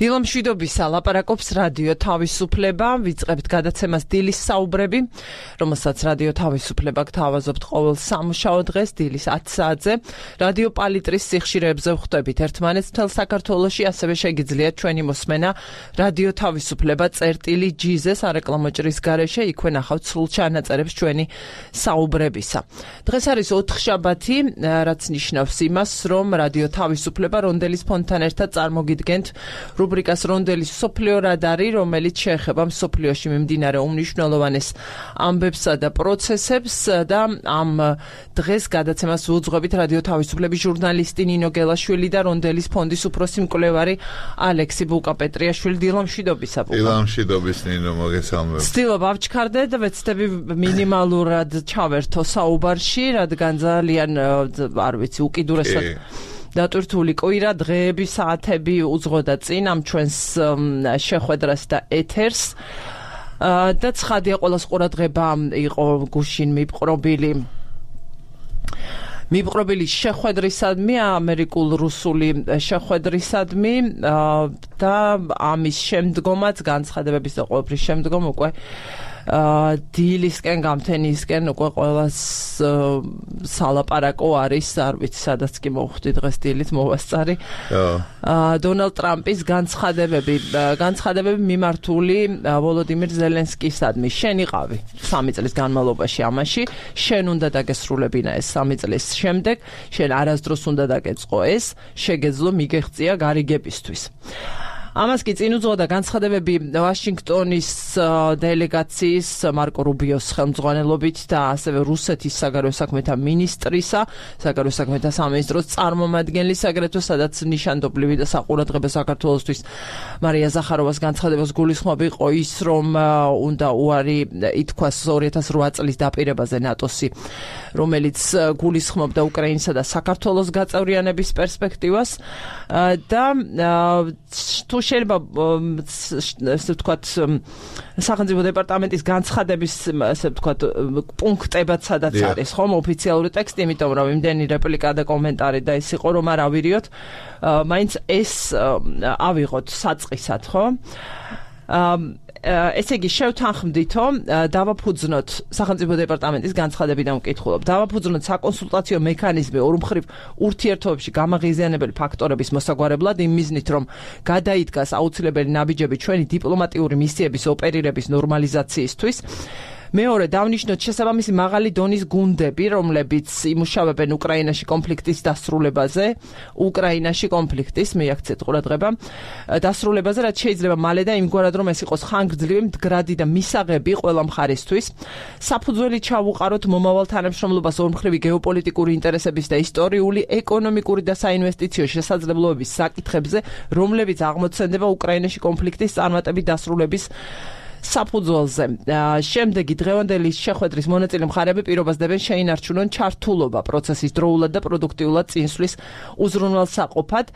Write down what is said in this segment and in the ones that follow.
დილამშვიდობისა ლაპარაკობს რადიო თავისუფლება, ვიწყებთ გადაცემას დილის საუბრები, რომელსაც რადიო თავისუფლება გთავაზობთ ყოველ სამუშაო დღეს დილის 10 საათზე. რადიო პალიტრის სიხშირეებზე ვხვდებით ერთმანეთს მთელ საქართველოში, ასევე შეგიძლიათ ჩვენი მოსმენა რადიო თავისუფლება წერტილი.gz სარეკლამო ჭრის გარეშე, იქვე ნახავთ სრულ ჩანაწერებს ჩვენი საუბრებისა. დღეს არის ოთხშაბათი, რაც ნიშნავს იმას, რომ რადიო თავისუფლება რონდელის ფონდთან ერთად წარმოგიდგენთ რუბრიკას რონდელის მსოფლიო რადარი, რომელიც შეეხება მსოფლიოში მიმდინარე უმნიშვნელოვანეს ამბებსა და პროცესებს და ამ დღეს გადაცემას ვუძღვებით რადიო თავისუფლების ჟურნალისტი ნინო გელაშვილი და რონდელის ფონდის უფროსი მკვლევარი ალექსი ბუკა-პეტრიაშვილი. დილამშვიდობისა. დილამშვიდობის ნინო, მოგესალმებით. ვცდილობ ავჩქარდე და ვეცდები მინიმალურად ჩავერთო საუბარში, რადგან ძალიან არ ვიცი უკიდურესად დატვირთული კვირა, დღეები, საათები უძღოდა წინ ამ ჩვენს შეხვედრას და ეთერს. და ცხადია ყველას ყურადღება იყო გუშინ მიპყრობილი შეხვედრისადმი, ამერიკულ-რუსული შეხვედრისადმი და ამის შემდგომაც განცხადებების და ყოველფრის შემდგომ უკვე დილისკენ გამთენისკენ უკვე ყველას სალაპარაკო არის, არ ვიცი სადაც კი მოვხვდი დღეს დილით მოვასწარი. დონალდ ტრამპის განცხადებები მიმართული ვოლოდიმირ ზელენსკისადმი. შენ იყავი 3 წლის განმავლობაში ამაში, შენ უნდა დაგესრულებინა ეს 3 წლის შემდეგ, შენ არასდროს უნდა დაგეწყო ეს, შეგეძლო მიგეღწია გარიგებისთვის. ამას კი წინ უძღოდა განცხადებები ვაშინგტონის დელეგაციის მარკო რუბიოს ხელმძღვანელობით და ასევე რუსეთის საგარეო საქმეთა მინისტრისა, საგარეო საქმეთა სამინისტროს წარმომადგენლის, აგრეთვე სადაც ნიშანდობლივი და საყურადღებო საქართველოსთვის მარია ზახაროვას განცხადებას გულისხმობ იყო ის, რომ უნდა უარი ითქვას 2008 წლის დაპირებაზე ნატოსი, რომელიც გულისხმობდა უკრაინისა და საქართველოს გაწევრიანების პერსპექტივას და თუ შეიძლება ესე ვთქვათ სახელმწიფო დეპარტამენტის განცხადების ესე ვთქვათ პუნქტებად სადაც არის ხომ ოფიციალური ტექსტი, იმიტომ რომ იმდენი რეპლიკა და კომენტარი და ის იყო რომ არ ავირიოთ, მაინც ეს ავიღოთ საწყისად, ხო? ესე იგი შევთანხმდითო, დავაფუძნოთ სახელმწიფო დეპარტამენტის განცხადებიდან ვკითხულობ. დავაფუძნოთ საკონსულტაციო მექანიზმი ორმხრივ ურთიერთობებში გამაღიზიანებელი ფაქტორების მოსაგვარებლად იმ მიზნით, რომ გადაიდგას აუცილებელი ნაბიჯები ჩვენი დიპლომატიური მისიების ოპერირების ნორმალიზაციისთვის. მეორე, დავნიშნოთ შესაბამისი მაღალი დონის გუნდები, რომლებიც იმუშავებენ უკრაინაში კონფლიქტის დასრულებაზე, მიაქცეთ ყურადღება, დასრულებაზე, რაც შეიძლება მალე და იმგვარად, რომ ეს იყოს ხანგრძლივი, მდგრადი და მისაღები ყველა მხარისთვის. საფუძველი ჩავუყაროთ მომავალ თანამშრომლობას ორმხრივი გეოპოლიტიკური ინტერესების და ისტორიული, ეკონომიკური და საინვესტიციო შესაძლებლობების საკითხებზე, რომლებიც აღმოცენდება უკრაინაში კონფლიქტის წარმატებით დასრულების საფუძველზე. შემდეგი დღევანდელი შეხვედრის მონაწილე მხარეები პირობას დებენ შეინარჩუნონ ჩართულობა პროცესის დროულად და პროდუქტიულად წინსვლის უზრუნველსაყოფად.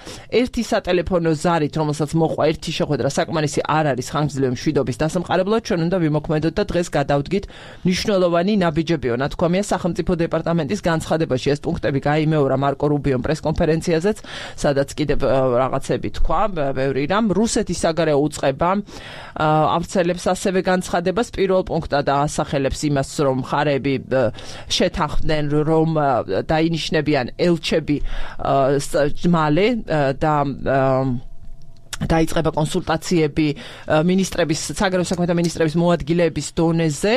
ერთი სატელეფონო ზარით, რომელსაც მოყვა ერთი შეხვედრა, საკმარისი არ არის ხანგრძლივი მშვიდობის დასამყარებლად, ჩვენ უნდა ვიმოქმედოთ და დღეს გადავდგით მნიშვნელოვანი ნაბიჯებიო. ნათქვამია სახელმწიფო დეპარტამენტის განცხადებაში. ეს პუნქტები გაიმეორა მარკო რუბიომ პრესკონფერენციაზეც, სადაც კიდევ რაღაცები თქვა, ბევრი რამ. რუსეთის საგარეო უწყება ავრცელებს ასევე განცხადებას პირველ პუნქტად ასახელებს იმას, რომ მხარეები შეთანხმდნენ, რომ დაინიშნებიან ელჩები მალე და დაიწყება კონსულტაციები საგარეო საქმეთა მინისტრების მოადგილეების დონეზე,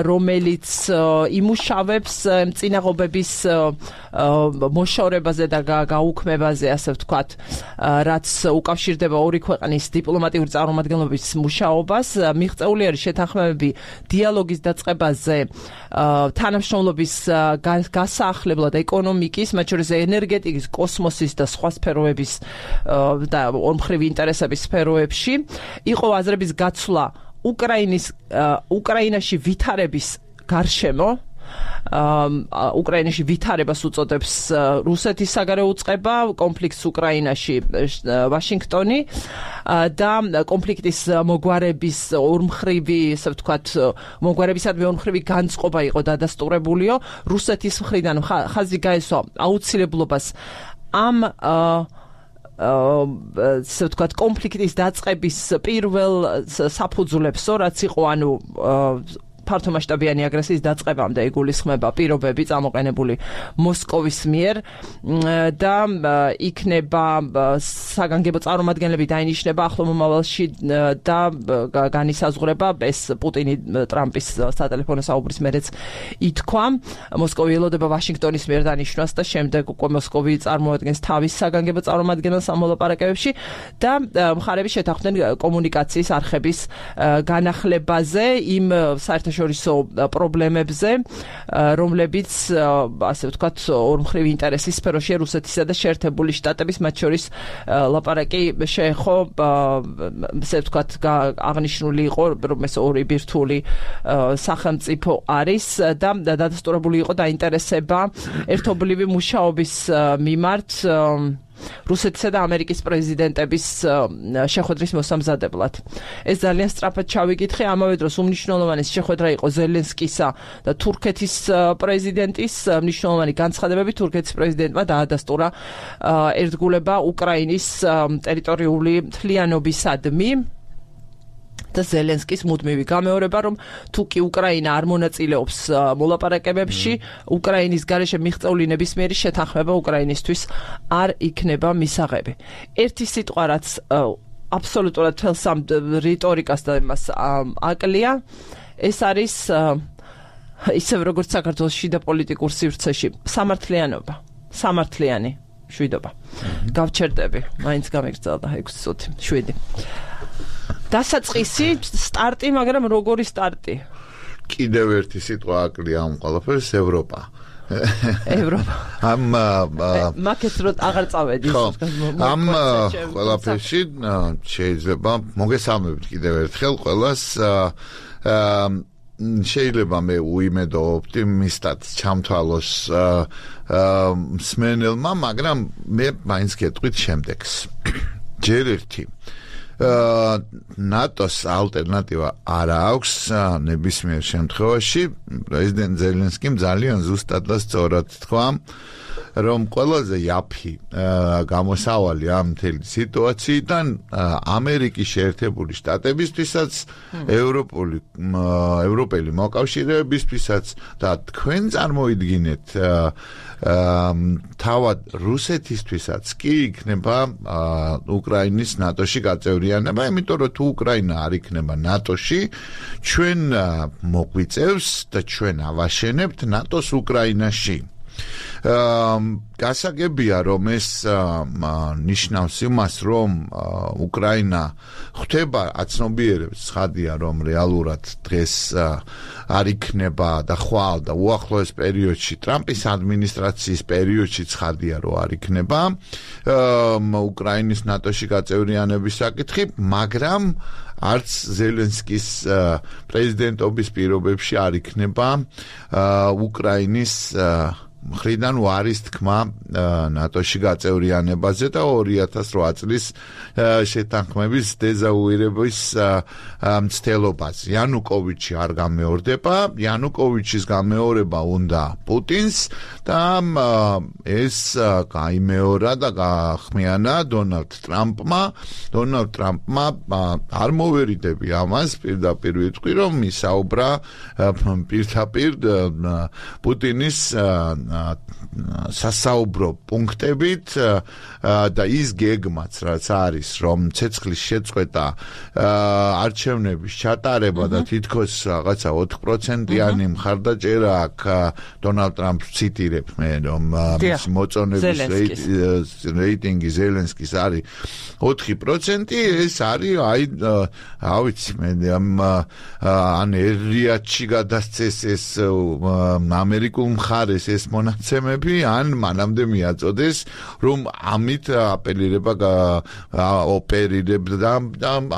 რომელიც იმუშავებს წინაღობების მოშორებაზე და გაუქმებაზე, ასე ვთქვათ, რაც უკავშირდება ორი ქვეყნის დიპლომატიური წარმომადგენლობის მუშაობას. მიღწეული არის შეთანხმებები დიალოგის დაწყებაზე, თანამშრომლობის გასაახლებლად ეკონომიკის, მათ შორის ენერგეტიკის, კოსმოსის და სხვა სფეროების და ორმხრივი ინტერესების სფეროებში. იყო აზრების გაცვლა უკრაინაში ვითარების გარშემო, უკრაინაში ვითარებას უწოდებს რუსეთის საგარეო უწყება, კონფლიქტს უკრაინაში ვაშინგტონი და კონფლიქტის მოგვარების ორმხრივი, ასე ვთქვათ, მოგვარებისადმი ორმხრივი განწყობა იყო დადასტურებულიო. რუსეთის მხრიდან ხაზი გაესვა აუცილებლობას ამ ასე ვთქვათ, კონფლიქტის დაწყების პირველ საფუძვლებს, რაც იყო, ანუ ფართომასშტაბიანი აგრესიის დაწყებამდე იგულისხმება პირობები წამოყენებული მოსკოვის მიერ და იქნება საგანგებო წარმომადგენლები დაინიშნება ახლო მომავალში და განისაზღვრება ეს პუტინი ტრამპის სატელეფონო საუბრის მერეც ითქვა მოსკოვი ელოდება ვაშინგტონის მიერ დანიშნვას და შემდეგ უკვე მოსკოვი წარმოადგენს თავის საგანგებო წარმომადგენელს ამ მოლაპარაკებებში და მხარები შეთანხმდნენ კომუნიკაციის არხების განახლებაზე იმ საერთაშორისო პრობლემებზე, რომლებიც, ასე ვთქვათ, ორმხრივი ინტერესის სფეროშია რუსეთისა და შეერთებული შტატების, მათ შორის ლაპარაკი შეეხო, ასე ვთქვათ, აღნიშნული იყო, რომ ეს ორი ბირთვული სახელმწიფო არის და დადასტურებული იყო დაინტერესება ერთობლივი მუშაობის მიმართ რუსეთისა და ამერიკის პრეზიდენტების შეხვედრის მოსამზადებლად. ეს ძალიან სწრაფად ჩავიკითხე, ამავე დროს უმნიშვნელოვანი შეხვედრა იყო ზელენსკისა და თურქეთის პრეზიდენტის, მნიშვნელოვანი განცხადებები თურქეთის პრეზიდენტმა დაადასტურა ერთგულება უკრაინის ტერიტორიული მთლიანობისადმი. და ზელენსკის მუდმივი გამეორება, რომ თუ კი უკრაინა არ მონაწილეობს მოლაპარაკებებში, უკრაინის გარეშე მიღწეული ნებისმიერი შეთანხმება უკრაინისთვის არ იქნება მისაღები. ერთი სიტყვა, რაც აბსოლუტურად თელს ამ რიტორიკას და იმას აკლია, ეს არის ისევ როგორც საქართველოს შიდა პოლიტიკურ სივრცეში, სამართლიანობა, სამართლიანი შვიდობა. გავჩერდები, მაინც გამიგრძელდა 6 წუთი, 7. დასაწყისი სტარტი, მაგრამ როგორი სტარტი? კიდევ ერთი სიტყვა აკლია ამ ყველაფერს, ევროპა. ევროპა. მაკეთ რო აღარ წავედი. ამ ყველაფერში შეიძლება მოგესალმებით კიდევ ერთხელ ყველას შეიძლება მე უიმედო ოპტიმისტად ჩამთვალოს მსმენელმა, მაგრამ მე მაინც გეტყვით შემდეგს. ჯერ ერთი ნატოს ალტერნატივა არ აქვს ნებისმიერ შემთხვევაში. პრეზიდენტ ზელენსკიმ ძალიან ზუსტად და სწორად თქვა, რომ ყველაზე იაფი გამოსავალი ამ მთელი სიტუაციიდან ამერიკის შეერთებული შტატებისთვისაც, ევროპელი მოკავშირეებისთვისაც და თქვენ წარმოიდგინეთ თავად რუსეთისთვისაც კი იქნება უკრაინის ნატოში გაწევრიანება, იმიტომ რომ თუ უკრაინა არ იქნება ნატოში, ჩვენ მოგვიწევს და ჩვენ ავაშენებთ ნატოს უკრაინაში. გასაგებია, რომ ეს ნიშნავს იმას, რომ უკრაინა ხვდება აცნობიერებს, ცხადია, რომ რეალურად დღეს არ იქნება და ხვალ და უახლოეს პერიოდში, ტრამპის ადმინისტრაციის პერიოდში ცხადია, რომ არ იქნება უკრაინის ნატოში გაწევრიანების საკითხი, მაგრამ არც ზელენსკის პრეზიდენტობის პირობებში არ იქნება უკრაინის მხრიდან უარის თქმა ნატოში გაწევრიანებაზე და 2008 წლის შეთანხმების დეზავუირების მცდელობაზე. იანუკოვიჩი არ გამეორდება, იანუკოვიჩის გამეორება უნდა პუტინს და ეს გაიმეორა და გაახმიანა დონალდ ტრამპმა. დონალდ ტრამპმა არ მოვერიდები ამას, პირდაპირ ვიტყვი, რომ ისაუბრა პირდაპირ პუტინის სასაუბრო პუნქტებით და ის გეგმაც რაც არის, რომ ცეცხლის შეწყვეტა, არჩევნების ჩატარება და თითქოს რაღაცა 4%-იანი მხარდაჭერა აქვს დონალდ ტრამპს ციტირებ მე, რომ მისი მოწონების რეიტინგი ზელენსკის არის 4%, ეს არის ავიცი მე ან ერიათში გადასცეს ეს ამერიკულ მხარეს ეს მონაცემები, ან მანამდე მიაწოდეს, რომ ამით ოპერირება და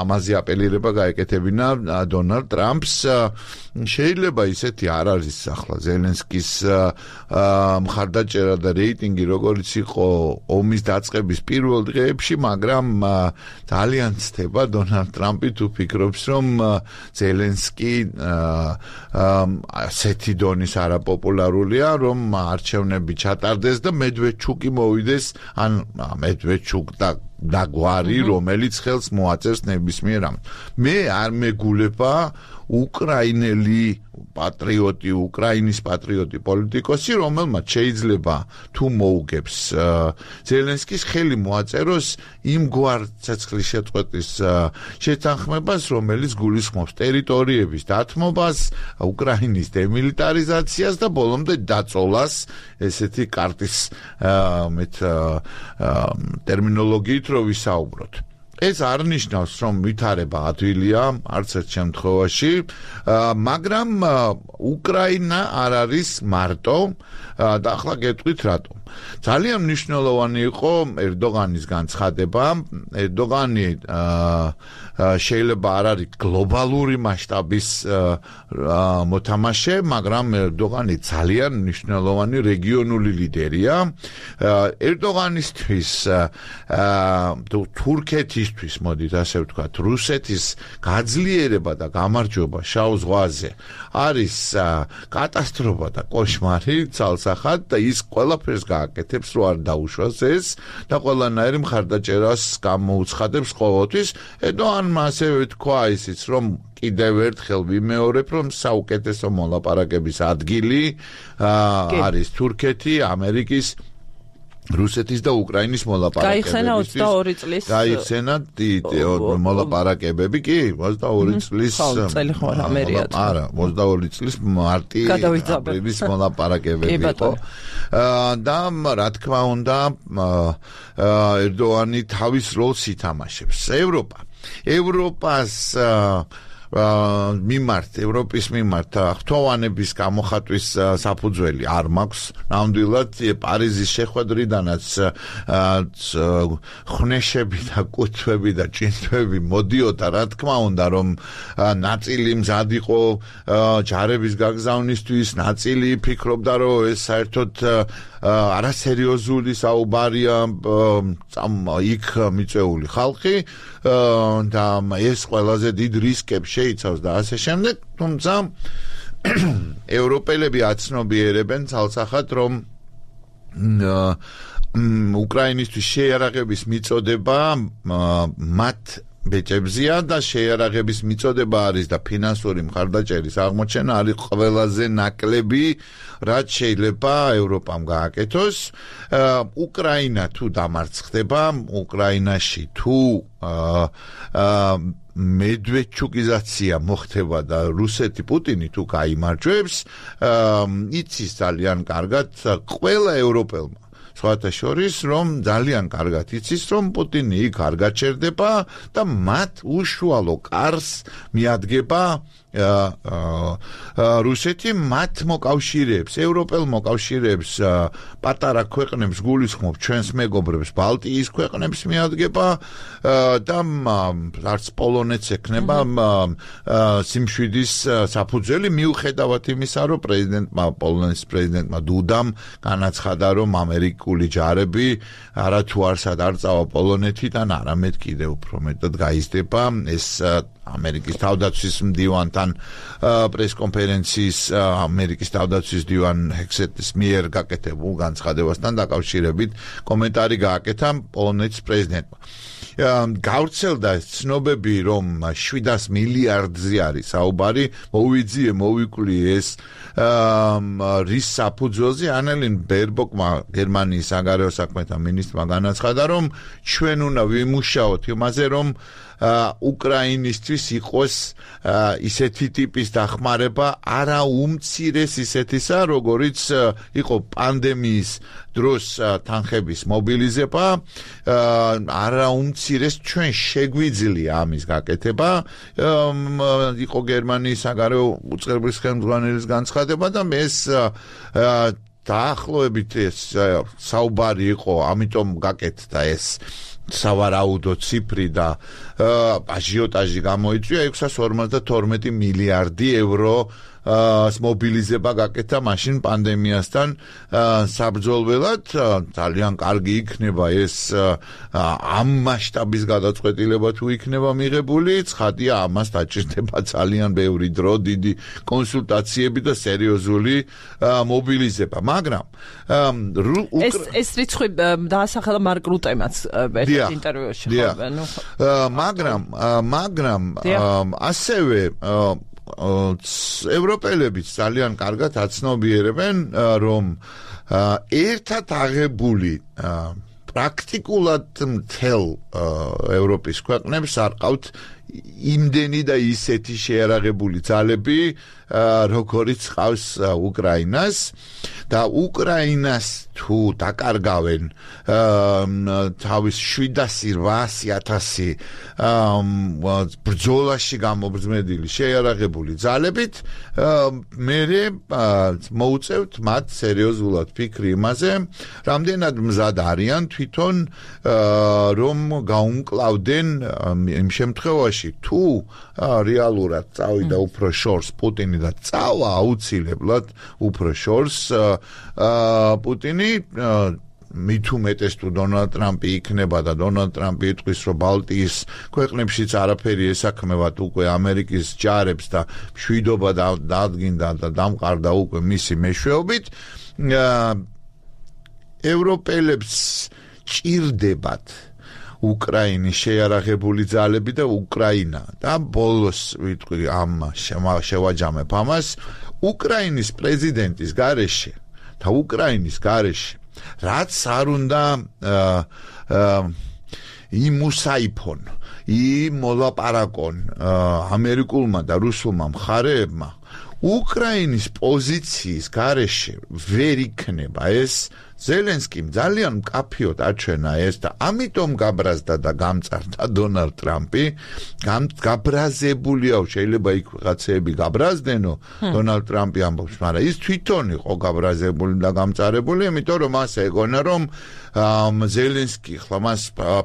ამაზე ოპერირება გაეკეთებინა დონალდ ტრამპს. შეიძლება ისეთი არ არის ახლა ზელენსკის მხარდაჭერა და რეიტინგი როგორც იყო ომის დაწყების პირველ დღეებში, მაგრამ ძალიან ცდება დონალდ ტრამპი თუ ფიქრობს, რომ ზელენსკი ასეთი დონის არაპოპულარულია, რომ არ არჩევნები ჩატარდეს და მედვედჩუკი მოვიდეს, ან მედვედჩუკ და გვარი, რომელიც ხელს მოაწერს ნებისმიერ ამ. მე არ მეგულება უკრაინელი პატრიოტი, უკრაინის პატრიოტი პოლიტიკოსი, რომელმაც შეიძლება თუ მოუგებს ზელენსკის ხელი მოაწეროს იმგვარ ცეცხლის შეწყვეტის შეთანხმებას, რომელიც გულისხმობს ტერიტორიების დათმობას, უკრაინის დემილიტარიზაციას და ბოლომდე დაწოლას, ესეთი კარტის ტერმინოლოგიით რო ვისაუბროთ. ეს არ ნიშნავს, რომ ვითარება ადვილია არც ერთ შემთხვევაში, მაგრამ უკრაინა არ არის მარტო და ახლა გეტყვით რატომ. ძალიან მნიშვნელოვანი იყო ერდოღანის განცხადება. ერდოღანი შეიძლება არ არის გლობალური მასშტაბის მოთამაშე, მაგრამ ერდოღანი ძალიან მნიშვნელოვანი რეგიონული ლიდერია. ერდოღანისთვის თურქეთისთვის, მოდით ასე ვთქვათ, რუსეთის გაძლიერება და გამარჯვება შავ ზღვაზე არის კატასტროფა და კოშმარი ცალსახად და ის ყველაფერს გააკეთებს, რომ არ დაუშვას ეს და ყველანაირი მხარდაჭერას გამოუცხადებს ყოველთვის. ერდოღანმა ასევე თქვა ისიც, რომ კიდევ ერთხელ ვიმეორებ, რომ საუკეთესო მოლაპარაკების ადგილი არის თურქეთი, ამერიკის, რუსეთის და უკრაინის მოლაპარაკებებისთვის. გაიხსენა 22 წლის მოლაპარაკებები, კი, 22 წლის არა, 22 წლის მარტი აპრილის მოლაპარაკებები იყო. და რა თქმა უნდა, ერდოღანი თავის როლს ითამაშებს. ევროპას ევროპის მიმართ ღვთოვანების გამოხატვის საფუძველი არ მაქვს. ნამდვილად პარიზის შეხვედრიდანაც ხვნეშები და კუთვები და ჭინთვები მოდიოდა, რა თქმა უნდა, რომ ნაწილი მზად იყო ჯარების გაგზავნისთვის, ნაწილი ფიქრობდა, რომ ეს საერთოდ არასერიოზული საუბარია იქ მიწვეული ხალხი და ეს ყველაზე დიდ რისკებს შეიცავს და ასე შემდეგ, თუმცა ევროპელები აცნობიერებენ ცალსახად, რომ უკრაინისთვის შეიარაღების მიწოდება მათ ბეჭებზია და შეიარაღების მიწოდება არის და ფინანსური მხარდაჭერის აღმოჩენა არის ყველაზე ნაკლები, რაც შეიძლება ევროპამ გააკეთოს. უკრაინა თუ დამარცხდება, უკრაინაში თუ მედვედჩუკიზაცია მოხდება და რუსეთი პუტინი თუ გაიმარჯვებს, იცის ძალიან კარგად ყველა ევროპელმა, სხვათა შორის, რომ ძალიან კარგად იცის, რომ პუტინი იქ არ გაჩერდება და მათ უშუალო კარს მიადგება რუსეთი, მათ მოკავშირეებს, ევროპელ მოკავშირეებს, პატარა ქვეყნებს გულისხმობ ჩვენს მეგობრებს, ბალტიის ქვეყნებს მიადგება და არც პოლონეთს ექნება სიმშვიდის საფუძველი, მიუხედავად იმისა, რომ პოლონეთის პრეზიდენტმა დუდამ განაცხადა, რომ ამერიკული ჯარები არათუ არსად არ წავა პოლონეთიდან, არამედ კიდევ უფრო მეტად გაიზრდება. ეს ამერიკის თავდაცვის მდივანთან პრესკონფერენციის ამერიკის თავდაცვის მდივან ჰექსეტის მიერ გაკეთებულ განცხადებასთან დაკავშირებით კომენტარი გააკეთა პოლონეთის პრეზიდენტმა. გავრცელდა ცნობები, რომ 700 მილიარდზე არის საუბარი, მოვიკვლიე ეს რის საფუძველზე. ანელინ ბერბოკმა, გერმანიის საგარეო საქმეთა მინისტრმა განაცხადა, რომ ჩვენ უნდა ვიმუშაოთ იმაზე, რომ უკრაინისთვის იყოს ისეთი ტიპის დახმარება, არა უმცირეს ისეთისა, როგორიც იყო პანდემიის დროს თანხების მობილიზება, არა უმცირეს ჩვენ შეგვიძლია ამის გაკეთება. იყო გერმანიის საგარეო უწყებლის ხელმძღვანელის განცხადება და ეს დაახლოებით ეს საუბარი იყო, ამიტომ გაკეთდა ეს სავარაუდო ციფრი და აჟიოტაჟი გამოიწვია 652 მილიარდი ევრო მობილიზება გაკეთა მაშინ პანდემიასთან საბრძოლველად ძალიან კარგი იქნება ეს ამ მასშტაბის გადაწყვეტილება თუ იქნება მიღებული ცხადია ამას დაჭირდება ძალიან ბევრი დრო დიდი კონსულტაციები და სერიოზული მობილიზება მაგრამ ეს რიცხვი დაასახელა მარკ რუტემაც ერთ ინტერვიუში მაგრამ ასევე ევროპელებიც ძალიან კარგად აცნობიერებენ რომ ერთად აღებული პრაქტიკულად მთელ ევროპის ქვეყნებს არ ყავთ იმდენი და ისეთი შეარაღებული ძალები როგორიც ყავს უკრაინას და უკრაინას თუ დაკარგავენ თავის 700-800 ბრძოლაში გამობრძმედილი შეარაღებული ძალებით მერე მოუწევთ მათ სერიოზულად ფიქრი იმაზე რამდენად მზად არიან თვითონ რომ გაუმკლავდნენ იმ შემთხვევაში თუ რეალურად წავიდა უფრო შორს პუტინი და წავა აუცილებლად უფრო შორს პუტინი მით უმეტეს თუ დონალდ ტრამპი იქნება და დონალდ ტრამპი იტყვის რომ ბალტიის ქვეყნებშიც არაფერი ესაქმევათ უკვე ამერიკის ჯარებს და მშვიდობა დადგინდა და დამყარდა უკვე მისი მეშვეობით ევროპელებს ჭირდებათ უკრაინის შეარაღებული ძალები და უკრაინა და ბოლოს ვიტყვი ამ შევაჯამებ ამას უკრაინის პრეზიდენტის გარეშე და უკრაინის გარეშე რაც არ უნდა იმუსაიფონ იმოლაპარაკონ ამერიკულმა და რუსულმა მხარეებმა უკრაინის პოზიციის გარეშე ვერ იქნება ეს ზელენსკიმ ძალიან მკაფიოდ აჩვენა ეს და ამიტომ გაბრაზდა და გამწარდა დონალდ ტრამპი გაბრაზებულია შეიძლება იქ რაღაცეები გაბრაზდენო დონალდ ტრამპი ამბობს მაგრამ ის თვითონ იყო გაბრაზებული და გამწარებული იმიტომ რომ მას ეგონა რომ ზელენსკი ხლა მას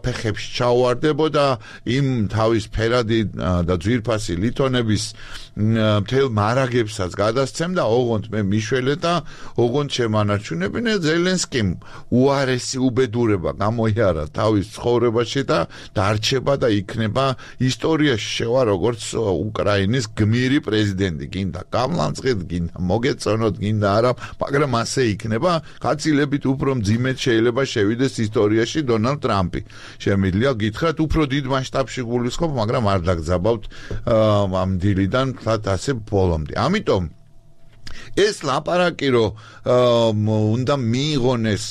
ფეხებში ჩაუვარდებოდა იმ თავის ფერადი და ძვირფასი ლითონების მთელ მარაგებსაც გადასცემდა ოღონდ მე მიშველე და ოღონდ შემანარჩუნებინე ზელენსკიმ უარესი უბედურება გამოიარა თავის ცხოვრებაში და დარჩება და იქნება ისტორიაში შევა როგორც უკრაინის გმირი პრეზიდენტი გინდა გამლანძღეთ გინდა მოგეწონოთ გინდა არა მაგრამ ასე იქნება გაცილებით უფრო მძიმედ შეიძლება შევიდეს ისტორიაში დონალდ ტრამპი შემიძლია გითხრათ უფრო დიდ მასშტაბში გულისხმობ მაგრამ არ დაგძაბავთ ამ დილიდან თათ ასე ბოლომდე ამიტომ ეს ლაპარაკი რომ უნდა მიიღონეს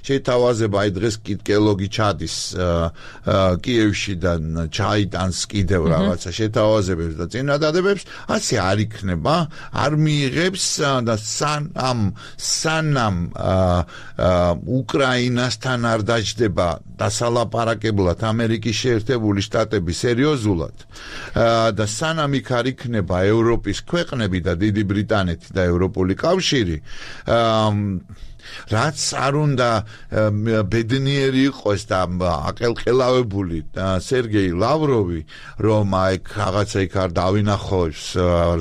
შეთავაზება აი დღეს კელოგი ჩადის კიევში და ჩაიტანს კიდევ რაღაცა შეთავაზებებს და წინადადებებს ასე არ იქნება არ მიიღებს და სანამ უკრაინასთან არ დაჯდება დასალაპარაკებლად ამერიკის შეერთებული შტატები სერიოზულად და სანამ იქ არ იქნება ევროპის ქვეყნები და დიდი ბრიტანეთი და ევროპული კავშირი რაც არ უნდა ბედნიერი იყოს და აკელყელავებული სერგეი ლავროვი რომ აი რაღაცა იქ არ დავინახოს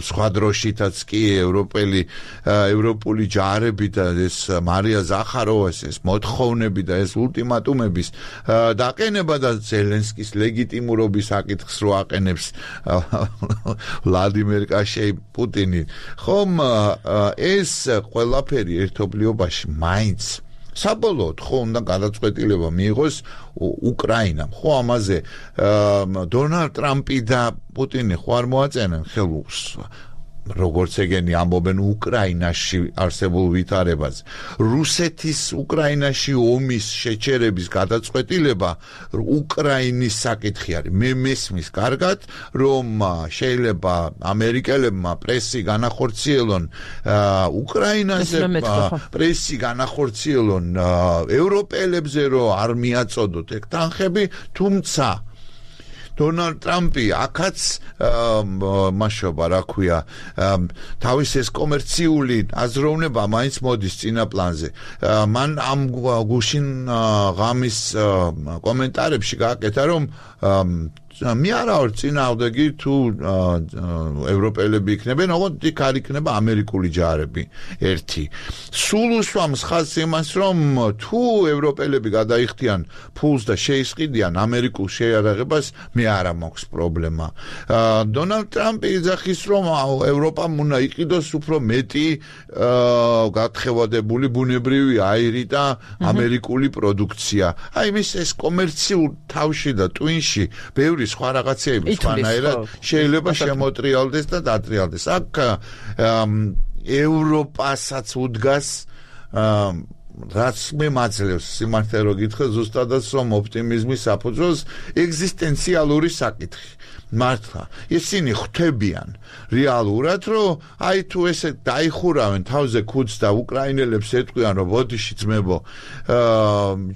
სხვა დროშითაც კი ევროპული ჯარები და ეს მარია ზახაროვას ეს მოთხოვნები და ეს ულტიმატუმების დაყენება და ზელენსკის ლეგიტიმურობის საკითხს რო აყენებს ვლადიმერ კაშეი პუტინი ხომ ეს ყველაფერი ერთობლიობაში მაინც საბოლოოდ ხო უნდა გადაწყვეტილება მიიღოს უკრაინამ ხო ამაზე დონალდ ტრამპი და პუტინი ხო არ მოაწენენ ხელს როგორც ეგენი ამბობენ უკრაინაში არსებულ ვითარებას რუსეთის უკრაინაში ომის შეჩერების გადაწყვეტილება უკრაინის საკითხი არის მე მესმის კარგად რომ შეიძლება ამერიკელებმა პრესი განახორციელონ უკრაინაზე პრესი განახორციელონ ევროპელებზე რომ არ მიაწოდოთ ეგ თანხები დონალდ ტრამპი აქაც მაშობა რა ქვია თავის ეს კომერციული აზროვნება მაინც მოდის წინა პლანზე მან ამ გუშინ ღამის კომენტარებში გააკეთა რომ მე არა ვარ წინააღმდეგი თუ ევროპელები იქნებენ, ოღონდ იქ არ იქნება ამერიკული ჯარები ერთი. სულ უსვამს ხაზს იმას, რომ თუ ევროპელები გადაიხდიან ფულს და შეისყიდიან ამერიკულ შეიარაღებას, მე არა მაქვს პრობლემა. დონალდ ტრამპი იძახის, რომ ევროპამ უნდა იყიდოს უფრო მეტი გათხევადებული ბუნებრივი აირი და ამერიკული პროდუქცია. აი მის ეს კომერციულ თავში და ტვინში ბევრი სხვა რაღაცეები სხვანაირად შეიძლება შემოტრიალდეს და დატრიალდეს. აქ ევროპასაც უდგას რაც მე მაძლევს სიმართლე რო გითხრა ზუსტადაც რომ ოპტიმიზმის საფუძველს ეგზისტენციალური საკითხი. მართლა ისინი ხვდებიან რეალურად რომ აი თუ ესე დაიხურავენ თავზე ქუდს და უკრაინელებს ეტყვიან რომ ბოდიში ძმებო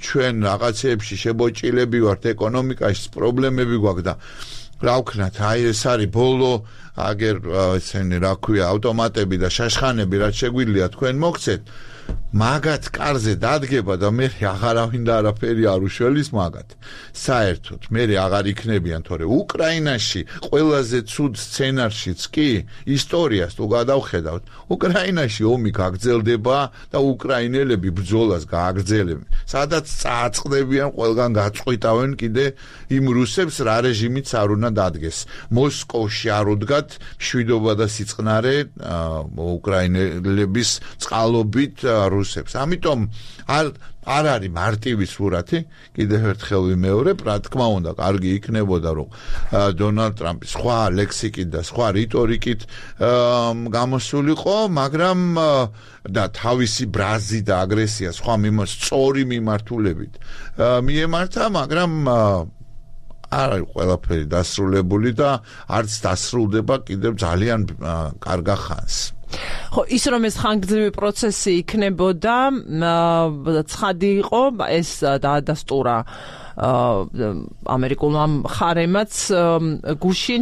ჩვენ რაღაცეებში შებოჭილები ვართ ეკონომიკაში პრობლემები გვაქვს და რა ვქნათ აი ეს არის ბოლო აგერ ესენი რა ქვია ავტომატები და შაშხანები რაც შეგვიძლია თქვენ მოგცეთ მაგათ კარზე დადგება და მე აღარავინ და არაფერი არ უშველის მაგათ საერთოდ მე აღარ იქნებიან თორე უკრაინაში ყველაზე ცუდ სცენარშიც კი ისტორიას თუ გადავხედავთ უკრაინაში ომი გაგრძელდება და უკრაინელები ბრძოლას გააგრძელებენ სადაც წააწყდებიან ყველგან გაწყვიტავენ კიდე იმ რუსებს რა რეჟიმიც არ უნდა დადგეს მოსკოვში არ უდგათ მშვიდობა და სიწყნარე უკრაინელების წყალობით რუსებს. ამიტომ არ არის მარტივი სურათი, კიდევ ერთხელ ვიმეორებ, რა თქმა უნდა, კარგი იქნებოდა რომ დონალდ ტრამპი სხვა ლექსიკით და სხვა რიტორიკით გამოსულიყო, მაგრამ და თავისი ბრაზი და აგრესია სხვა სწორი მიმართულებით მიემართა, მაგრამ არ არის ყველაფერი დასრულებული და არც დასრულდება კიდევ ძალიან კარგა ხანს. ხო ის რომ ეს ხანგრძლივი პროცესი იქნებოდა ცხადი იყო ეს დაადასტურა ამერიკულმა მხარემაც გუშინ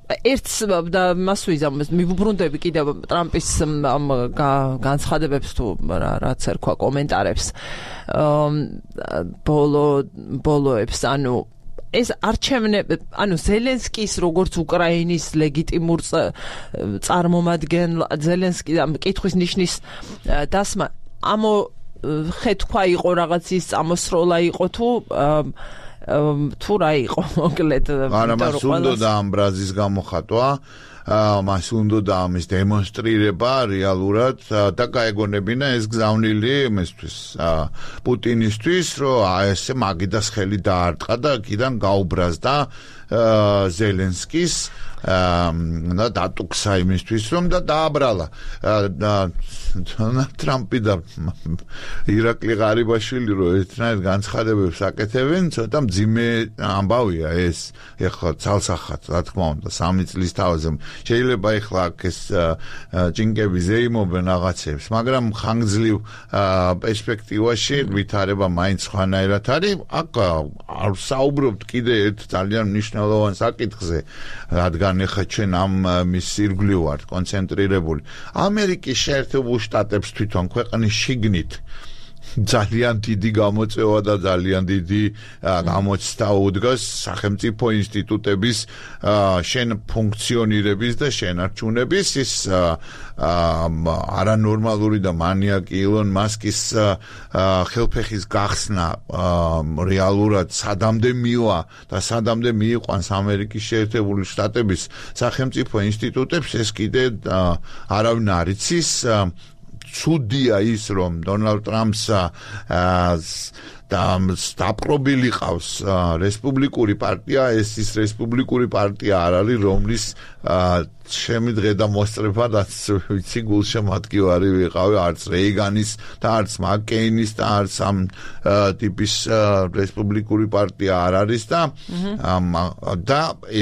ერთს და მას ვიზამს მივუბრუნდები კიდევ ტრამპის განცხადებებს თუ რაც ერქვა კომენტარებს ბოლოებს ანუ ეს არჩევნები ანუ ზელენსკის როგორც უკრაინის ლეგიტიმურ წარმომადგენელ ზელენსკი მკითხვის ნიშნის დასმა ამოხეთქვა იყო რაღაც ის წამოსროლა იყო თუ რა იყო მოკლედ არა მას უნდა ამ ბრაზის გამოხატვა მას უნდა ამის დემონსტრირება რეალურად და გაეგონებინა ეს გზავნილი იმისთვის პუტინისთვის რომ ესე მაგიდას ხელი დაარტყა და კიდან გაუბრაზდა ზელენსკის და დატუქსა იმისთვის რომ და დააბრალა ტრამპი და ირაკლი ღარიბაშვილი რომ ერთნაირად განცხადებებს აკეთებენ ცოტა მძიმე ამბავია ეს ეხლა ძალსახად რა თქმა უნდა 3 წლის თავზე შეიძლება ეხლა ეს ჭინკები ზეიმობენ რაღაცებს მაგრამ ხანგრძლივ პერსპექტივაში ვითარება მაინც სხვანაირად არის აქ არ საუბრობთ კიდე ერთ ძალიან მნიშვნელოვან საკითხზე რადგან ეხლა ჩვენ ამ მის ირგვლივ ვართ კონცენტრირებული ამერიკის შეერთებულ შტატებს თვითონ ქვეყნის შიგნით ძალიან დიდი გამოწვევა და ძალიან დიდი გამოცდა უდგას სახელმწიფო ინსტიტუტების ფუნქციონირების და შენარჩუნების ის არანორმალური და მანიაკი ილონ მასკის ხელფეხის გახსნა რეალურად სადამდე მივა და სადამდე მიიყვანს ამერიკის შეერთებული შტატების სახელმწიფო ინსტიტუტებს ეს კიდე არავინ არ იცის ცუდია ის რომ დონალდ ტრამპს დაპყრობილი ყავს რესპუბლიკური პარტია ეს ის რესპუბლიკური პარტია არ არის რომლის ჩემი დღე და მოსწრება რაც ვიცი გულშემატკივარი ვიყავი არც რეიგანის და არც მაკკეინის და არც ამ ტიპის რესპუბლიკური პარტია არ არის და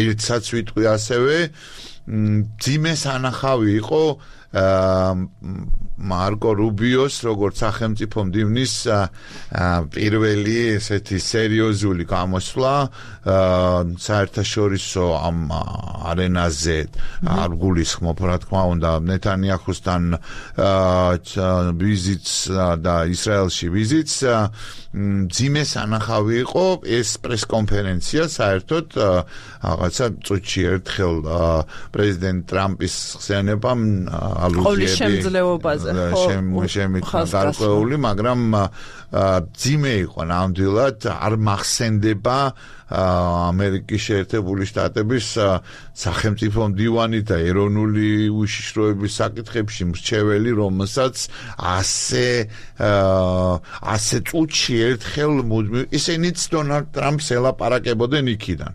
ერთსაც ვიტყვი ასევე ძიმე სანახავი იყო მარკო რუბიოს როგორც სახელმწიფო მდივნის პირველი ესეთი სერიოზული გამოსვლა საერთაშორისო ამ არენაზე არ გულისხმობ რა თქმა უნდა ნეთანიაჰუსთან ვიზიტს და ისრაელში ვიზიტს ძიმე სანახავი იყო ეს პრესკონფერენცია საერთოდ რაღაცა წუთში ერთხელ პრეზიდენტ ტრამპის ხსენებამ შემძლეობაზე გარკვეული, მაგრამ ძიმე იყო ნამდვილად არ მახსენდება ამერიკის შეერთებული შტატების სახელმწიფო მდივანი და ეროვნული უშიშროების საკითხებში მრჩეველი, რომელსაც ასე წუთში ერთხელ ისინიც დონალდ ტრამპს ელაპარაკებოდნენ იქიდან.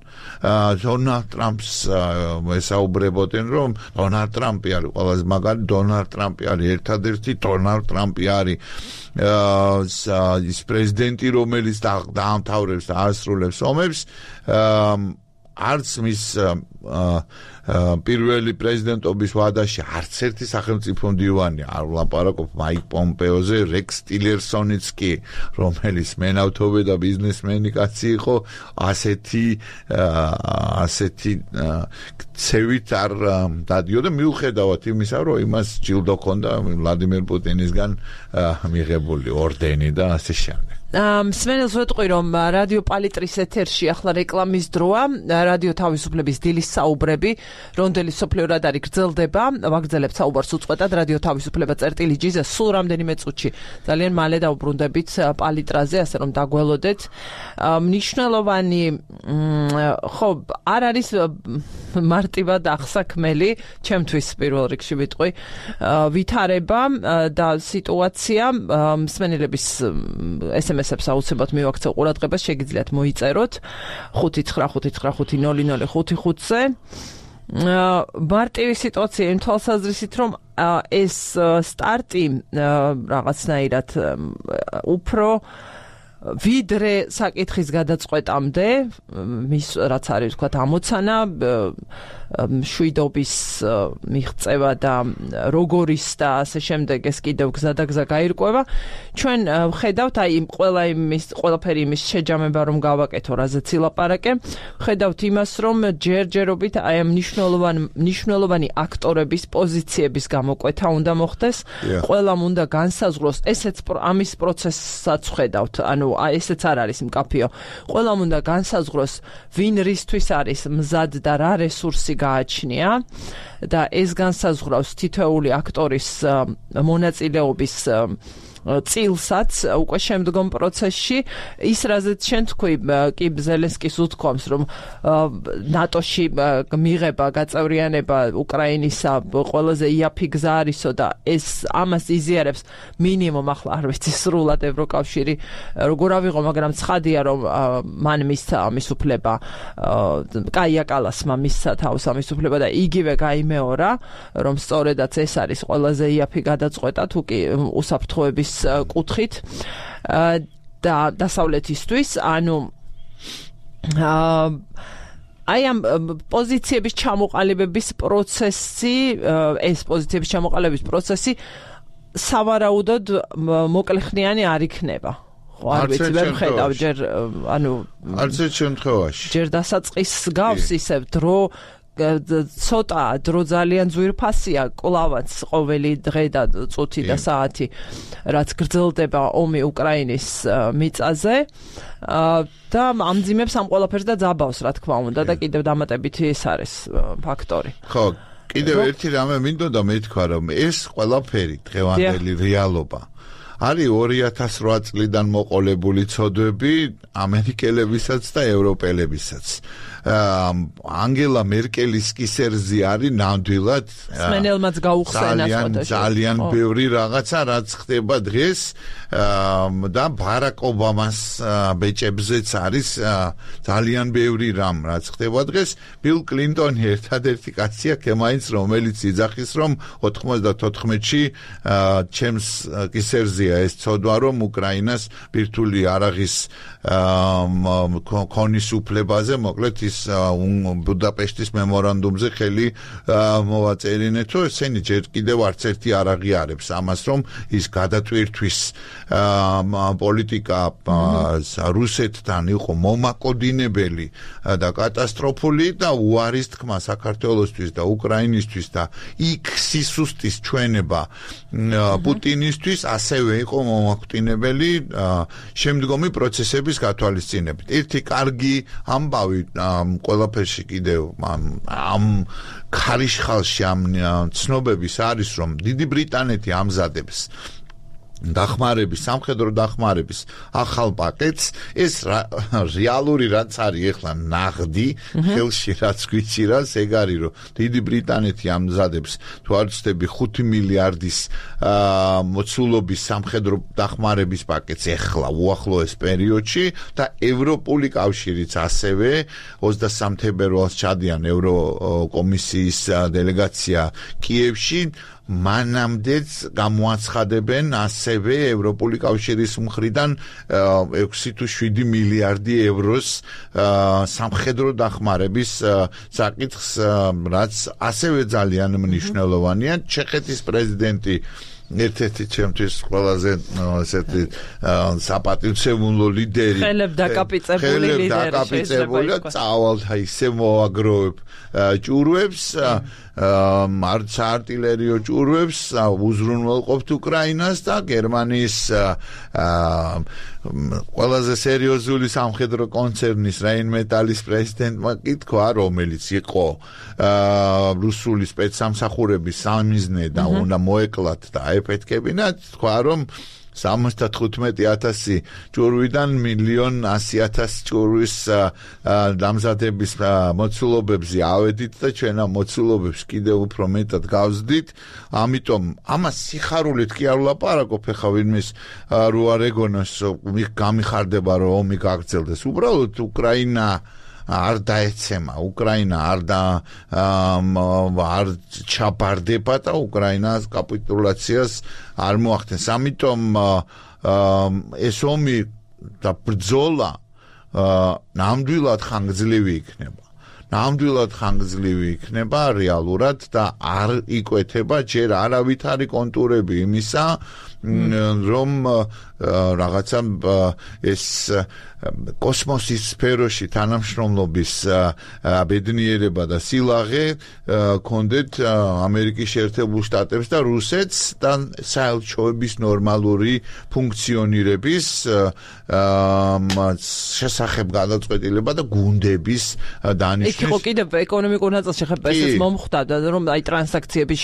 დონალდ ტრამპს ესაუბრებოდნენ, რომ დონალდ ტრამპი არის ყველაზე მაგარი, დონალდ ტრამპი არის ერთადერთი, დონალდ ტრამპი არის ის პრეზიდენტი, რომელიც დაამთავრებს და ასრულებს ომებს, არც მის პირველი პრეზიდენტობის ვადაში არც ერთი სახელმწიფო მდივანი არ ვლაპარაკობ მაიკ პომპეოზე, რექს ტილერსონიც კი, რომელიც მენავთობე და ბიზნესმენი კაცი იყო, ასეთი ცევით არ დადიოდა მიუხედავად იმისა, რომ იმას ჯილდო ჰქონდა ვლადიმერ პუტინისგან მიღებული ორდენი და ასე შემდეგ. მსმენელს ვეტყვი, რომ რადიო პალიტრის ეთერში ახლა რეკლამის დროა, რადიო თავისუფლების დილის საუბრები, რონდელი სოფლიო რადარი გრძელდება, ვაგრძელებთ საუბარს უწყვეტად რადიო თავისუფლება წერტილი-ჯიზე სულ რამდენიმე წუთში. ძალიან მალე დავუბრუნდებით პალიტრაზე, ასე რომ დაგველოდეთ. მნიშვნელოვანი ხო, არ არის მარტივად აღსაქმელი, ჩემთვის პირველ რიგში ვიტყვი, ვითარება და სიტუაცია მსმენელების SMS-ებს აუცილებლად მივაქცევ ყურადღებას, შეგიძლიათ მოიწეროთ 595550055-ზე. მარტივი სიტუაცია იმ თვალსაზრისით, რომ ეს სტარტი რაღაცნაირად უფრო ვიდრე საკითხის გადაწყვეტამდე, მის რაც არის ვთქვათ ამოცანა, მშვიდობის მიღწევა და როგორის და ასე შემდეგ ეს კიდევ გზა და გზა გაირკვევა. ჩვენ ვხედავთ აი ყველაფერი იმის შეჯამება რომ გავაკეთო, რაზეც ილაპარაკე. ვხედავთ იმას, რომ ჯერჯერობით აი ამ მნიშვნელოვანი აქტორების პოზიციების გამოკვეთა უნდა მოხდეს. ყველამ უნდა განსაზღვროს, ესეც ამის პროცესსაც ვხედავთ. ანუ ესეც არ არის მკაფიო. ყველამ უნდა განსაზღვროს, ვინ რისთვის არის მზად და რა რესურსი გააჩნია და ეს განსაზღვრავს თითოეული აქტორის მონაწილეობის წილსაც უკვე შემდგომ პროცესში. ის რაზეც შენ თქვი, კი ზელენსკის უთქვამს, რომ ნატოში მიღება, გაწევრიანება უკრაინისა ყველაზე იაფი გზა არისო და ეს ამას იზიარებს მინიმუმ, ახლა არ ვიცი სრულად ევროკავშირი როგორ ავიღო, მაგრამ ცხადია, რომ მან მისცა ამის უფლება, კაია კალასმა მისცა თავს ამის უფლება და იგივე გაიმეორა, რომ სწორედაც ეს არის ყველაზე იაფი გადაწყვეტა, თუ კი უსაფრთხოების კუთხით და დასავლეთისთვის, ანუ აი ამ პოზიციების ჩამოყალიბების პროცესი, ეს პოზიციების ჩამოყალიბების პროცესი სავარაუდოდ მოკლეხნიანი არ იქნება. არ ვიცი, ვერ ვხედავ ჯერ, ანუ არც ერთ შემთხვევაში. ჯერ დასაწყის გავს ისევ დრო ცოტა დრო ძალიან ძვირფასია, კლავაც ყოველი დღე და წუთი და საათი, რაც გრძელდება ომი უკრაინის მიწაზე და ამძიმებს ამ ყველაფერს და ძაბავს, რა თქმა უნდა, და კიდევ დამატებითი ეს არის ფაქტორი. ხო, კიდევ ერთი რამე მინდოდა მეთქვა, რომ ეს ყველაფერი დღევანდელი რეალობა არის 2008 წლიდან მოყოლებული ცოდვები ამერიკელებისაც და ევროპელებისაც. ანგელა მერკელის კისერზე არის ნამდვილად სმენელმაც გაუხსენა ძალიან ბევრი რაღაცა რაც ხდება დღეს და ბარაკ ობამას ბეჭებზეც არის ძალიან ბევრი რამ რაც ხდება დღეს ბილ კლინტონი ერთადერთი კაცია კემაინც რომელიც იძახის რომ 94-ში ჩემს კისერზეა ეს ცოდვა რომ უკრაინას ბირთვული არაღის ქონის უფლებაზე მოკლედ ის ბუდაპეშტის მემორანდუმზე ხელი მოვაწერინეთ რომ ესენი ჯერ კიდევ არც ერთი არ აღიარებს ამას რომ ის გადატვირთვის პოლიტიკა რუსეთთან იყო მომაკოდინებელი და კატასტროფული და უარის თქმა საქართველოსთვის და უკრაინისთვის და იქ სისუსტის ჩვენება პუტინისთვის ასევე იყო მომაკვდინებელი შემდგომი პროცესების გათვალისწინებით. ერთი კარგი ამბავი ყველაფერში კიდევ ამ ქარიშხალში ამ ცნობების არის რომ დიდი ბრიტანეთი ამზადებს დახმარების, სამხედრო დახმარების ახალ პაკეტს ეს რეალური რაც არის ახლა ნაღდი ხელში რაც გვიჭირავს ეგ არის რომ დიდი ბრიტანეთი ამზადებს თუ არ ვცდები 5 მილიარდის მოცულობის სამხედრო დახმარების პაკეტს ახლა უახლოეს პერიოდში და ევროპული კავშირიც ასევე 23 თებერვალს ჩადიან ევროკომისიის დელეგაცია კიევში მანამდეც გამოაცხადებენ ასევე ევროპული კავშირის მხრიდან 6 თუ 7 მილიარდი ევროს სამხედრო დახმარების საკითხს, რაც ასევე ძალიან მნიშვნელოვანია. ჩეხეთის პრეზიდენტი ერთ-ერთი ჩემთვის ყველაზე ესეთი საპატივცემულო ლიდერი ხელებ დაკაპიწებული ლიდერი შეიძლება წავალ ისე მოაგროვებ ჭურვებს არც არტილერიო ჭურვებს უზრუნველყოფთ უკრაინას და გერმანიის ყველაზე სერიოზული სამხედრო კონცერნის Rheinmetall-ის პრეზიდენტმა კითხვა რომელიც იყო რუსული სპეცსამსახურების სამიზნე და უნდა მოეკლათ და აეფეთქებინათ თქვა რომ 75,000 ჭურვიდან 1,100,000 ჭურვის დამზადების მოცულობებზე ავედით და ჩვენ ამ მოცულობებს კიდევ უფრო მეტად გავზდით. ამიტომ ამას სიხარულით კი არ ვლაპარაკობ ხა ვინმეს რო არ ეგონოს გამიხარდება რომ ომი გაგრძელდეს. უბრალოდ უკრაინა არ დაეცემა, უკრაინა არ ჩაბარდება და უკრაინას კაპიტულაციას არ მოახდენს. ამიტომ ეს ომი და ბრძოლა ნამდვილად ხანგრძლივი იქნება. ნამდვილად ხანგრძლივი იქნება რეალურად და არ იკვეთება ჯერ არავითარი კონტურები იმისა რომ რაღაცა ეს კოსმოსის სფეროში თანამშრომლობის ბედნიერება და სილაღე კონდეთ ამერიკის შეერთებულ შტატებს და რუსეთს და საელჩოების ნორმალური ფუნქციონირების შესახებ გადაწყვეტილება და გუნდების დანიშვნის. იქ იყო კიდევ ეკონომიკურ ნაწილში ხება ესეც მომხვდა რომ აი ტრანზაქციების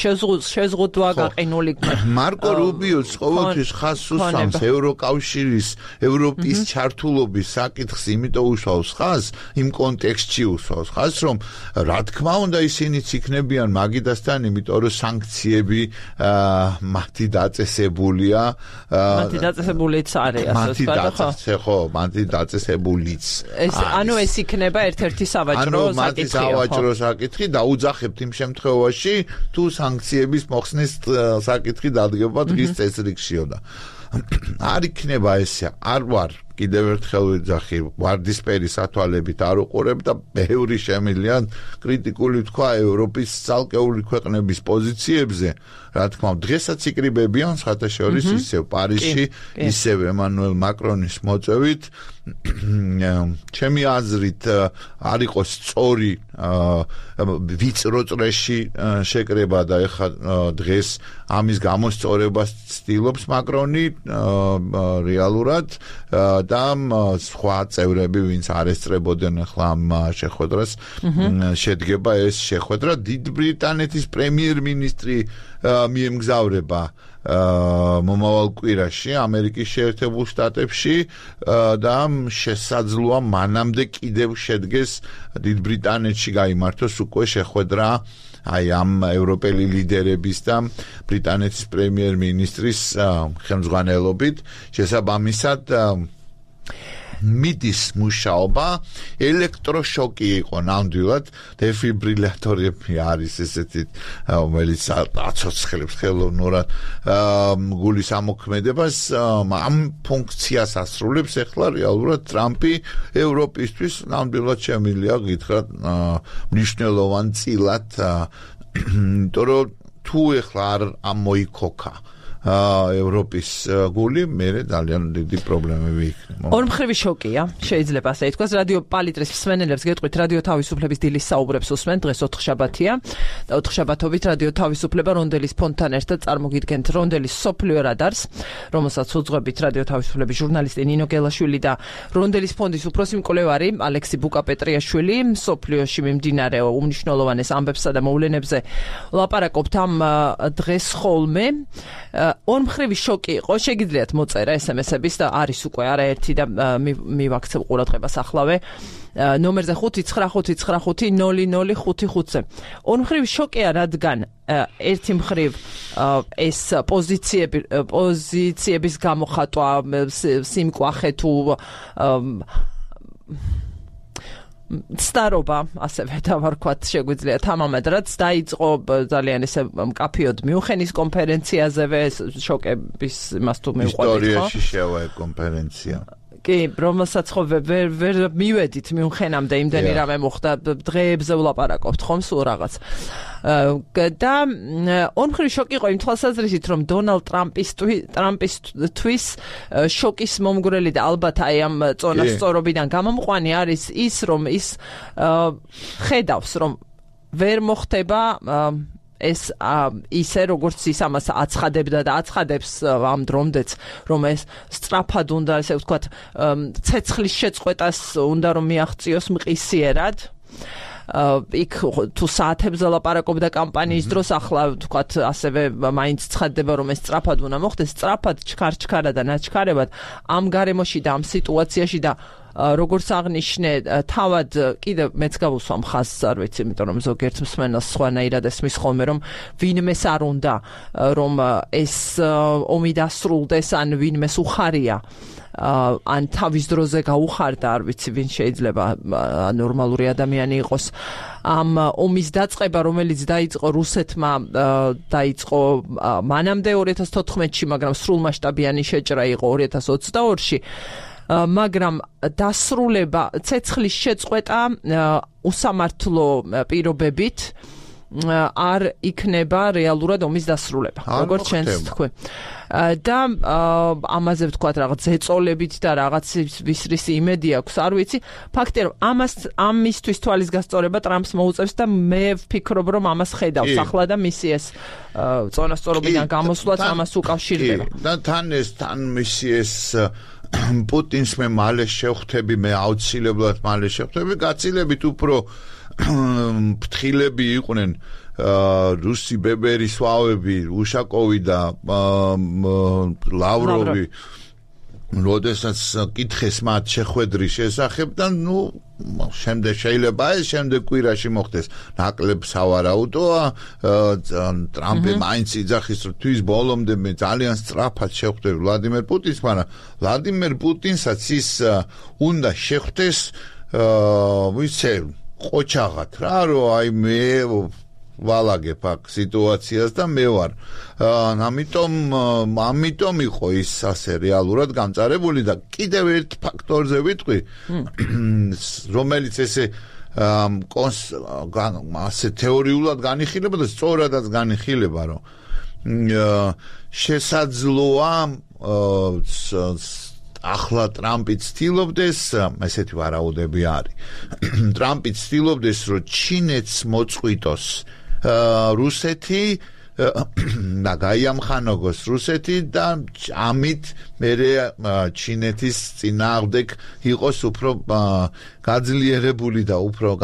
შეზღუდვა გაყინული. მარკო რუბიოც ყოველთვის ხაზს უსვამს ევროკავშირის ევროპის ჩართულობის საკითხს, იმიტომ უშავს ხაზს, იმ კონტექსტში უშავს ხაზს, რომ რა თქმა უნდა ისინიც იქნებიან მაგიდასთან, იმიტომ რომ სანქციები მათი დაწესებულია. მათი დაწესებულიც არის, ასე ვთქვათ, ხო, მათი დაწესებულიც. ანუ ეს იქნება ერთ-ერთი სავაჭრო საკითხი. მათი სავაჭრო საკითხი დაუძახებთ იმ შემთხვევაში, თუ სანქციების მოხსნის საკითხი დადგება დღის წესრიგშიო და არ იქნება ესე, არ ვარ კიდევ ერთხელ ვიძახი, ვარდისფერი სათვალებით არ უყურებ და ბევრი შემიძლია კრიტიკული თქვა ევროპის ცალკეული ქვეყნების პოზიციებზე. რა თქმა უნდა, დღესაც იკრიბებიან საერთაშორისო ისევ პარიზში, ისევ ემანუელ მაკრონის მოწვევით. ჩემი აზრით არ იყოს სწორი ვიწრო წრეში შეკრება და ეხლა დღეს ამის გამოსწორებას ცდილობს მაკრონი რეალურად და სხვა წევრები, ვინც არ ესწრებოდნენ ახლა ამ შეხვედრას, შედგება ეს შეხვედრა. დიდ ბრიტანეთის პრემიერ-მინისტრი მიემგზავრება მომავალ კვირაში ამერიკის შეერთებულ შტატებში და შესაძლოა მანამდე კიდევ შედგეს დიდ ბრიტანეთში გაიმართოს უკვე შეხვედრა აი ამ ევროპელი ლიდერების და ბრიტანეთის პრემიერ-მინისტრის ხელმძღვანელობით. შესაბამისად მიდის მუშაობა, ელექტროშოკი იყო ნამდვილად, დეფიბრილატორები არის ესეთი, რომელიც აცოცხლებს ხელოვნურად გულის ამოქმედებას, ამ ფუნქციას ასრულებს ახლა რეალურად ტრამპი ევროპისთვის ნამდვილად შემიძლია გითხრათ მნიშვნელოვან წილად, იმიტომ რომ თუ ახლა არ ამოიქოქა ევროპის გული, მე ძალიან დიდი პრობლემები იქნება. ორმხრივი შოკია, შეიძლება ასე ითქვას. რადიო პალიტრის მსმენელებს გეტყვით, რადიო თავისუფლების დილის საუბრებს უსმენთ, დღეს ოთხშაბათია და ოთხშაბათობით რადიო თავისუფლება რონდელის ფონდთან ერთად წარმოგიდგენთ რონდელის სოფლიო რადარს, რომელსაც უძღვებით რადიო თავისუფლების ჟურნალისტი ნინო გელაშვილი და რონდელის ფონდის უფროსი მკვლევარი ალექსი ბუკა-პეტრიაშვილი. სოფლიოში მიმდინარე უმნიშვნელოვანეს ამბებსა და მოვლენებზე ლაპარაკობთ ამ დღეს ხოლმე. ორმხრივი შოკი იყო, შეგიძლიათ მოწერა SMS-ების და არის უკვე არაერთი და მივაქცევ ყურადღებას ახლავე ნომერზე 595900555-ზე. ორმხრივი შოკია, რადგან ერთი მხრივ ეს პოზიციების გამოხატვა, სიმკვახე თუ ცდარობა, ასევე დავარქვათ შეგვიძლია თამამად, რაც დაიწყო ძალიან ესე მკაფიოდ მიუნხენის კონფერენციაზევე, შოკების იმას თუ მივყვებით, ხო? ისტორიაში შევა კონფერენცია. კი, რომელსაც ხო ვერ მივედით მიუნხენამდე, იმდენი რამე მოხდა, დღეებზე ვლაპარაკობთ ხომ სულ რაღაც. და ორმხრივი შოკი იყო იმ თვალსაზრისით, რომ დონალდ ტრამპისთვის შოკის მომგვრელი და ალბათ აი ამ წონასწორობიდან გამომყვანი არის ის, რომ ის ხედავს, რომ ვერ მოხდება ეს ისე როგორც ის ამას აცხადებდა და აცხადებს ამ დრომდეც, რომ ეს სწრაფად უნდა, ესე ვთქვათ, ცეცხლის შეწყვეტას უნდა რომ მიაღწიოს მყისიერად. იქ თუ საათებზე ლაპარაკობდა კამპანიის დროს, ახლა ვთქვათ, ასევე მაინც ცხადდება, რომ ეს სწრაფად უნდა მოხდეს, სწრაფად, ჩქარ-ჩქარა და ნაჩქარებად ამ გარემოში და ამ სიტუაციაში და როგორც აღნიშნე, თავად კიდევ მეც გავუსვამ ხაზს, არ ვიცი, იმიტომ რომ ზოგიერთ მსმენელს სხვანაირად ესმის ხოლმე, რომ ვინმეს არ უნდა, რომ ეს ომი დასრულდეს, ან ვინმეს უხარია, ან თავის დროზე გაუხარდა, არ ვიცი, ვინ შეიძლება ნორმალური ადამიანი იყოს. ამ ომის დაწყება, რომელიც დაიწყო რუსეთმა, დაიწყო მანამდე 2014-ში, მაგრამ სრულმასშტაბიანი შეჭრა იყო 2022-ში. მაგრამ დასრულება, ცეცხლის შეწყვეტა უსამართლო პირობებით არ იქნება რეალურად ომის დასრულება, როგორც ჩვენს თქვი. და ამაზე ვთქვათ რაღაც ზეწოლებით და რაღაც ვისრის იმედი აქვს, არ ვიცი. ფაქტია, რომ ამისთვის თვალის გასწორება ტრამპს მოუწევს და მე ვფიქრობ, რომ ამას ხედავს ახლა და მისი ეს წონასწორობიდან გამოსვლაც ამას უკავშირდება. და თან მისი ეს პუტინს მე მალე შევხვდები, მე აუცილებლად მალე შევხვდები, გაცილებით უფრო ფრთხილები იყვნენ რუსი ბებერის ვავები, უშაკოვი და ლავროვი, როდესაც კითხეს მათ შეხვედრის შესახებ და შემდეგ შეიძლება ეს შემდეგ კვირაში მოხდეს. ნაკლებ სავარაუდოა, ტრამპი მაინც იძახის, რომ თვის ბოლომდე მე ძალიან სწრაფად შევხვდები ვლადიმერ პუტინს, მაგრამ ვლადიმერ პუტინსაც ის უნდა შეხვდეს, ვიცი, ყოჩაღად რა, რომ აი მე ვალაგებ აქ სიტუაციას და მე ვარ. ამიტომ იყო ის ასე რეალურად გამწარებული და კიდევ ერთ ფაქტორზე ვიტყვი, რომელიც ესე ასე თეორიულად განიხილება და სწორადაც განიხილება, რომ შესაძლოა ახლა ტრამპი ცდილობდეს, ესეთი ვარაუდები არის. ტრამპი ცდილობდეს, რომ ჩინეთს მოწყვიტოს რუსეთი და გაიამხანოგოს რუსეთი და ამით მერე ჩინეთის წინააღმდეგ იყოს უფრო გაძლიერებული და უფრო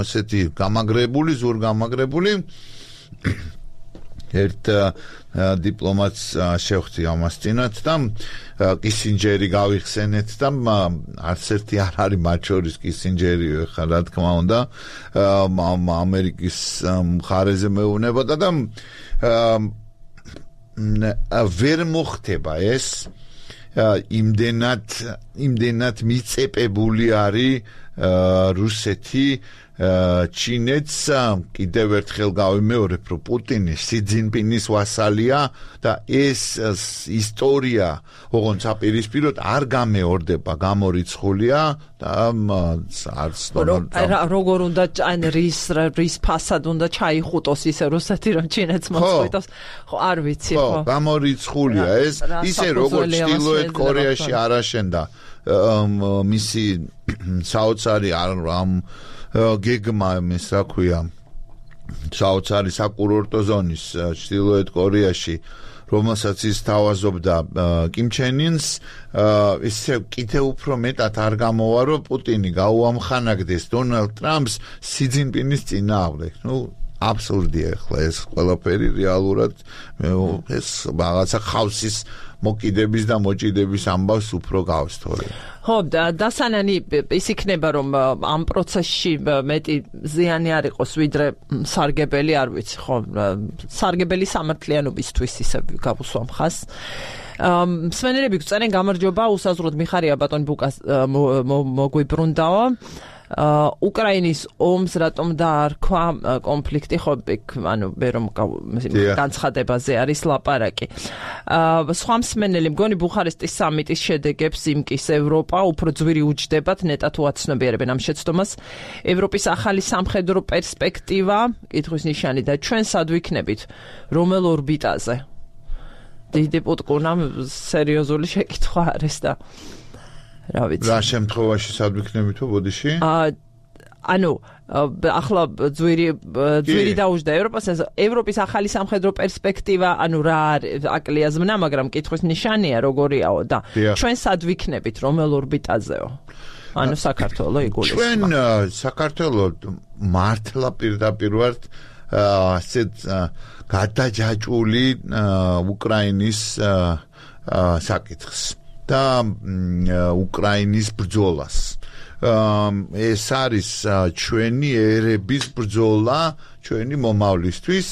ესეთი გამაგრებული, ზურგამაგრებული ერთ დიპლომატს შევხვდი ამას წინათ და კისინჯერი გავიხსენეთ და არც ერთი არ არის მათ შორის კისინჯერი ხა რა თქმა უნდა ამერიკის მხარეზე მეუბნებოდა და ვერ მოხდება ეს იმდენად მიწეპებული არის რუსეთი ჩინეთს კიდევ ერთხელ გავიმეორებ რომ პუტინი სი ძინპინის ვასალია და ეს ისტორია ოღონდ საპირისპიროდ არ გამეორდება გამორიცხულია და არც როგორ უნდა რის ფასად უნდა ჩაიხუტოს ისე რუსეთი რომ ჩინეთს მოწყვიტოს ხო არ ვიცი ხო გამორიცხულია ეს ისე როგორც ჩრდილოეთ კორეაში არ აშენდა მისი საოცარი ამ გეგმა ის რა ქვია საოცარი საკურორტო ზონის ჩრდილოეთ კორეაში რომელსაც ის თავაზობდა კიმ ჩენ ინს ისე კიდევ უფრო მეტად არ გამოვა რომ პუტინი გაუამხანაგდეს დონალდ ტრამპს სი ძინპინის წინააღმდეგ აბსურდია ახლა ეს ყველაფერი რეალურად ეს რაღაცა ხავსის მოკიდების და მოჭიდების ამბავს უფრო გავს თორე ხო დასანანი ის იქნება რომ ამ პროცესში მეტი ზიანი არ იყოს ვიდრე სარგებელი არ ვიცი ხო სარგებელი სამართლიანობისთვის ისე გავუსვამ ხას მსმენელები გწერენ გამარჯობა უსაზღვროდ მიხარია ბატონ ბუკას მოგვიბრუნდაო უკრაინის ომს რატომ დაარქვა კონფლიქტი ხო ანუ მე რომ განცხადებაზე არის ლაპარაკი სხვა მსმენელი მგონი ბუხარესტის სამიტის შედეგებს იმკის ევროპა უფრო ძვირი უჯდებათ ნეტა თუ აცნობიერებენ ამ შეცდომას ევროპის ახალი სამხედრო პერსპექტივა კითხვის ნიშანი და ჩვენ სად ვიქნებით რომელ ორბიტაზე დიდი პუტკუნამ სერიოზული შეკითხვა არის და რა ვიცი რა შემთხვევაში სად ვიქნებითო ბოდიში ანუ ახლა ძვირი დაუჯდა ევროპის ახალი სამხედრო პერსპექტივა ანუ რა აკლია ზმნა მაგრამ კითხვის ნიშანია როგორიაო და ჩვენ სად ვიქნებით რომელ ორბიტაზეო ანუ საქართველო იგულისხმება ჩვენ საქართველო მართლა პირდაპირ ვართ ასეთ გადაჯაჭვული უკრაინის საკითხს და უკრაინის ბრძოლას ეს არის ჩვენი ერების ბრძოლა ჩვენი მომავლისთვის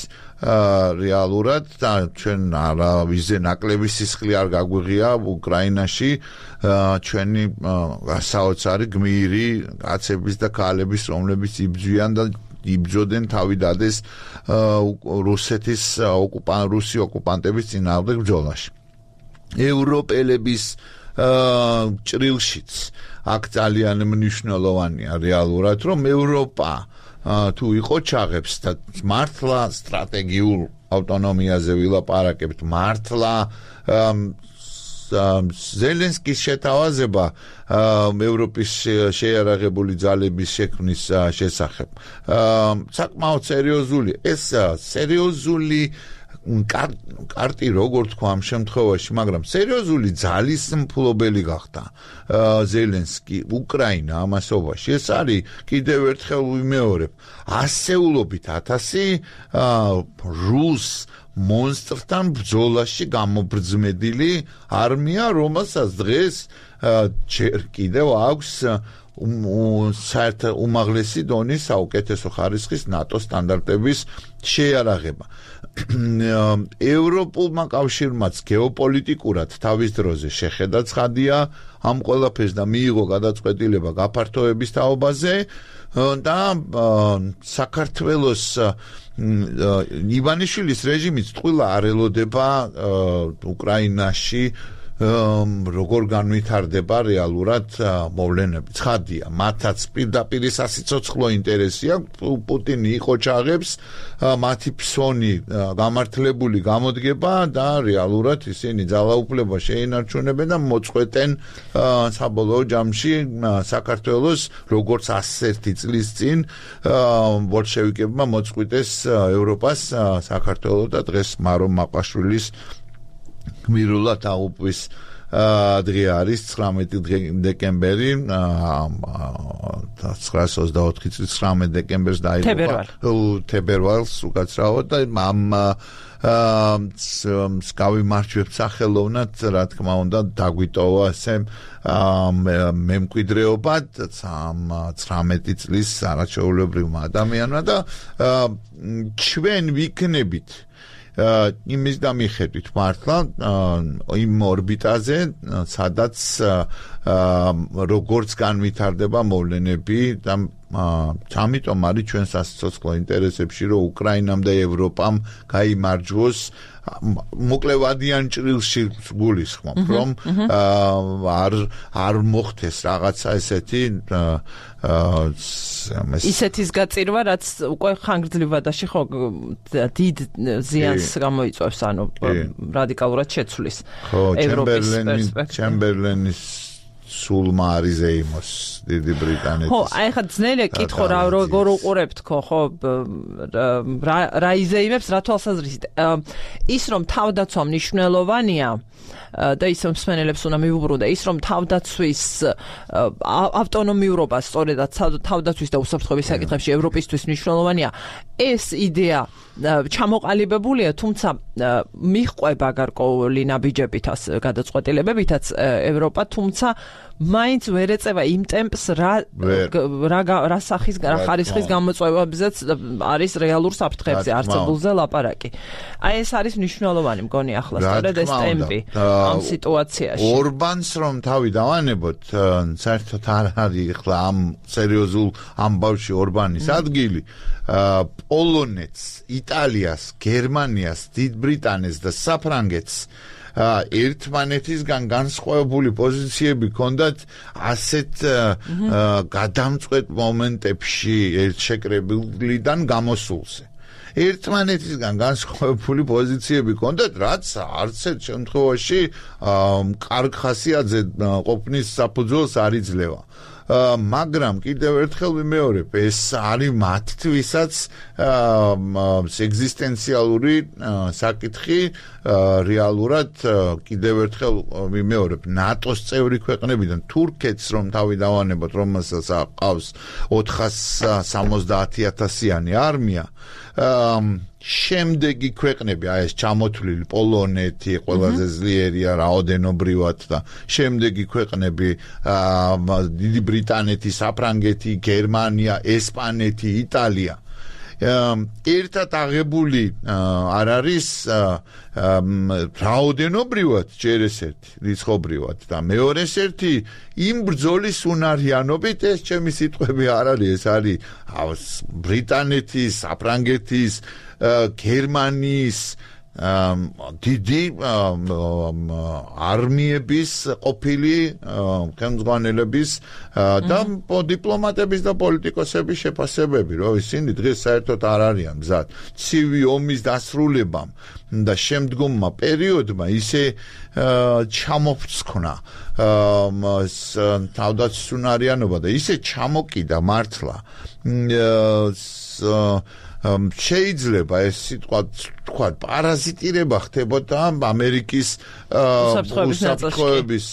რეალურად და ჩვენ არავიზე ნაკლები სისხლი არ გაგვიღია უკრაინაში ჩვენი საოცარი გმირი კაცების და ქალების რომლებიც იბრძვიან და იბრძოდნენ თავიდადეს რუსეთის რუსი ოკუპანტების წინააღმდეგ ბრძოლაში ევროპელების ჭრილშიც აქ ძალიან მნიშვნელოვანია რეალურად რომ ევროპა თუ იყო ჩაღებს და მართლა სტრატეგიულ ავტონომიაზე ვილაპარაკებთ მართლა ზელენსკის შეთავაზება ევროპის შეიარაღებული ძალების შექმნის შესახებ საკმაოდ სერიოზული ეს სერიოზული კარტი როგორ თქვა ამ შემთხვევაში მაგრამ სერიოზული ძალის მფლობელი გახდა ზელენსკი უკრაინა ამასობაში ეს არის კიდევ ერთხელ ვიმეორებ ასეულობით 1000 რუს მონსტრთან ბრძოლაში გამობრძმედილი არმია რომელსაც დღეს ჯერ კიდევ აქვს საერთო უმაღლესი დონის საუკეთესო ხარისხის ნატო სტანდარტების შეიარაღება ევროპულმა კავშირმაც გეოპოლიტიკურად თავის დროზე შეხედა ცხადია ამ ყველაფერს და მიიღო გადაწყვეტილება გაფართოების თაობაზე და საქართველოს ივანიშვილის რეჟიმიც ტყუილა არ ელოდება უკრაინაში როგორ განვითარდება რეალურად მოვლენები. ცხადია, მათაც პირდაპირ სასიცოცხლო ინტერესი აქვს, პუტინი იყოჩაღებს, მათი ფსონი გამართლებული გამოდგება და რეალურად ისინი ძალაუფლება შეინარჩუნებენ და მოწყვეტენ საბოლოო ჯამში საქართველოს, როგორც 101 წლის წინ ბოლშევიკებმა მოწყვიტეს ევროპას საქართველოს და დღეს მარო მაყაშვილის გმირულად აუპვის დღე არის 19 დეკემბერი 1924 წლის 19 დეკემბერს დაიღუპა თებერვალს უკაცრავად და ამ მსგავი მარჩვებს სახელოვნად რა თქმა უნდა დაგვიტოვა ასე მემკვიდრეობა 19 წლის არაჩვეულებრივმა ადამიანმა და ჩვენ ვიქნებით იმის და მიხედვით მართლა იმ ორბიტაზე სადაც როგორც განვითარდება მოვლენები და ამიტომ არის ჩვენ სასიცოცხლო ინტერესებში რომ უკრაინამ და ევროპამ გაიმარჯვოს მოკლევადიან ჭრილში გულისხმობ რომ არ მოხდეს რაღაცა ესეთი ისეთის გაწირვა რაც უკვე ხანგრძლივადაში ხო დიდ ზიანს გამოიწვევს ანუ რადიკალურად შეცვლის ევროპის პერსპექტივას ჩემბერლენის სულმა არის ზეიმოს დიდი ბრიტანეთის. ხო, აი ხა ძნელია კითხო რა როგორ უყურებთ ხო რა იზეიმებს რა თვალსაზრისით. ის რომ თავდაცვა მნიშვნელოვანია და ის რომ მსმენელებს უნდა მიუბრუნდა ის რომ თავდაცვის ავტონომიურობა სწორედაც თავდაცვის და უსაფრთხოების საკითხებში ევროპისთვის მნიშვნელოვანია. ეს იდეა ჩამოყალიბებულია, თუმცა მიჰყვება გარკვეული ნაბიჯებითაც გადაწყვეტილებებითაც ევროპა, თუმცა მაინც ვერ ეწევა იმ ტემპს რა სახის რა ხარისხის გამოწვევებზეც არის რეალურ საფრთხეებზე არსებულზე ლაპარაკი. აი ეს არის მნიშვნელოვანი მგონი ახლა სწორედ ეს ტემპი ამ სიტუაციაში. ორბანს რომ თავი დავანებოთ, საერთოდ არ არის ახლა ამ სერიოზულ ამბავში ორბანის ადგილი. პოლონეთს, იტალიას, გერმანიას, დიდ ბრიტანეთს და საფრანგეთს ერთმანეთისგან განსხვავებული პოზიციები ჰქონდათ ასეთ გადამწყვეტ მომენტებში ერთშეკრებილიდან გამოსულზე. ერთმანეთისგან განსხვავებული პოზიციები ჰქონდათ, რაც არც ერთ შემთხვევაში კარგ ხასიათზე ყოფნის საფუძველს არ იძლევა. მაგრამ კიდევ ერთხელ ვიმეორებ, ეს არის მათთვისაც ეგზისტენციალური საკითხი რეალურად კიდევ ერთხელ ვიმეორებ, ნატოს წევრი ქვეყნებიდან თურქეთს რომ თავი დავანებოთ, რომელსაც აყავს 470,000-იანი არმია, შემდეგი ქვეყნები, აი ეს ჩამოთვლილი პოლონეთი ყველაზე ძლიერია რაოდენობრივად და შემდეგი ქვეყნები დიდი ბრიტანეთი, საფრანგეთი, გერმანია, ესპანეთი, იტალია ერთად აღებული არ არის რაოდენობრივად ჯერ ესეთი რიცხობრივად და მეორე ერთი იმ ბრძოლის უნარიანობით ეს ჩემი სიტყვები არ არის ეს არის ბრიტანეთის, საფრანგეთის, გერმანიის დიდი არმიების ყოფილი ხელმძღვანელების და დიპლომატების და პოლიტიკოსების შეფასებები, რომ ისინი დღეს საერთოდ არ არიან მზად ცივი ომის დასრულებამ და შემდგომმა პერიოდმა ისე ჩამოფრცხნა თავდაცვის უნარიანობა და ისე ჩამოკიდა მართლა შეიძლება ეს სიტყვა თქვა პარაზიტირება ხდებოდა ამერიკის უსაფრთხოების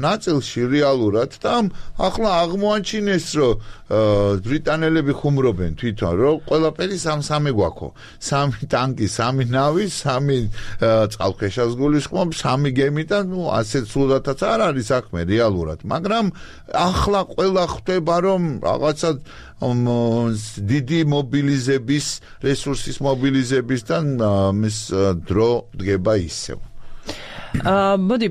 ნაწილში რეალურად და ახლა აღმოაჩინეს რომ ბრიტანელები ხუმრობენ თვითონ რომ ყველაფერი სამსამე გვაქვს სამი ტანკი, სამი ნავი, სამი წყალქვეშას გულისხმობ, სამი გემი და ასეთ სულადაც არ არის საქმე რეალურად, მაგრამ ახლა ყველა ხდება რომ რაღაცა დიდი მობილიზების რესურსის მობილიზებისთან მის დრო დგება ისევ. მოდი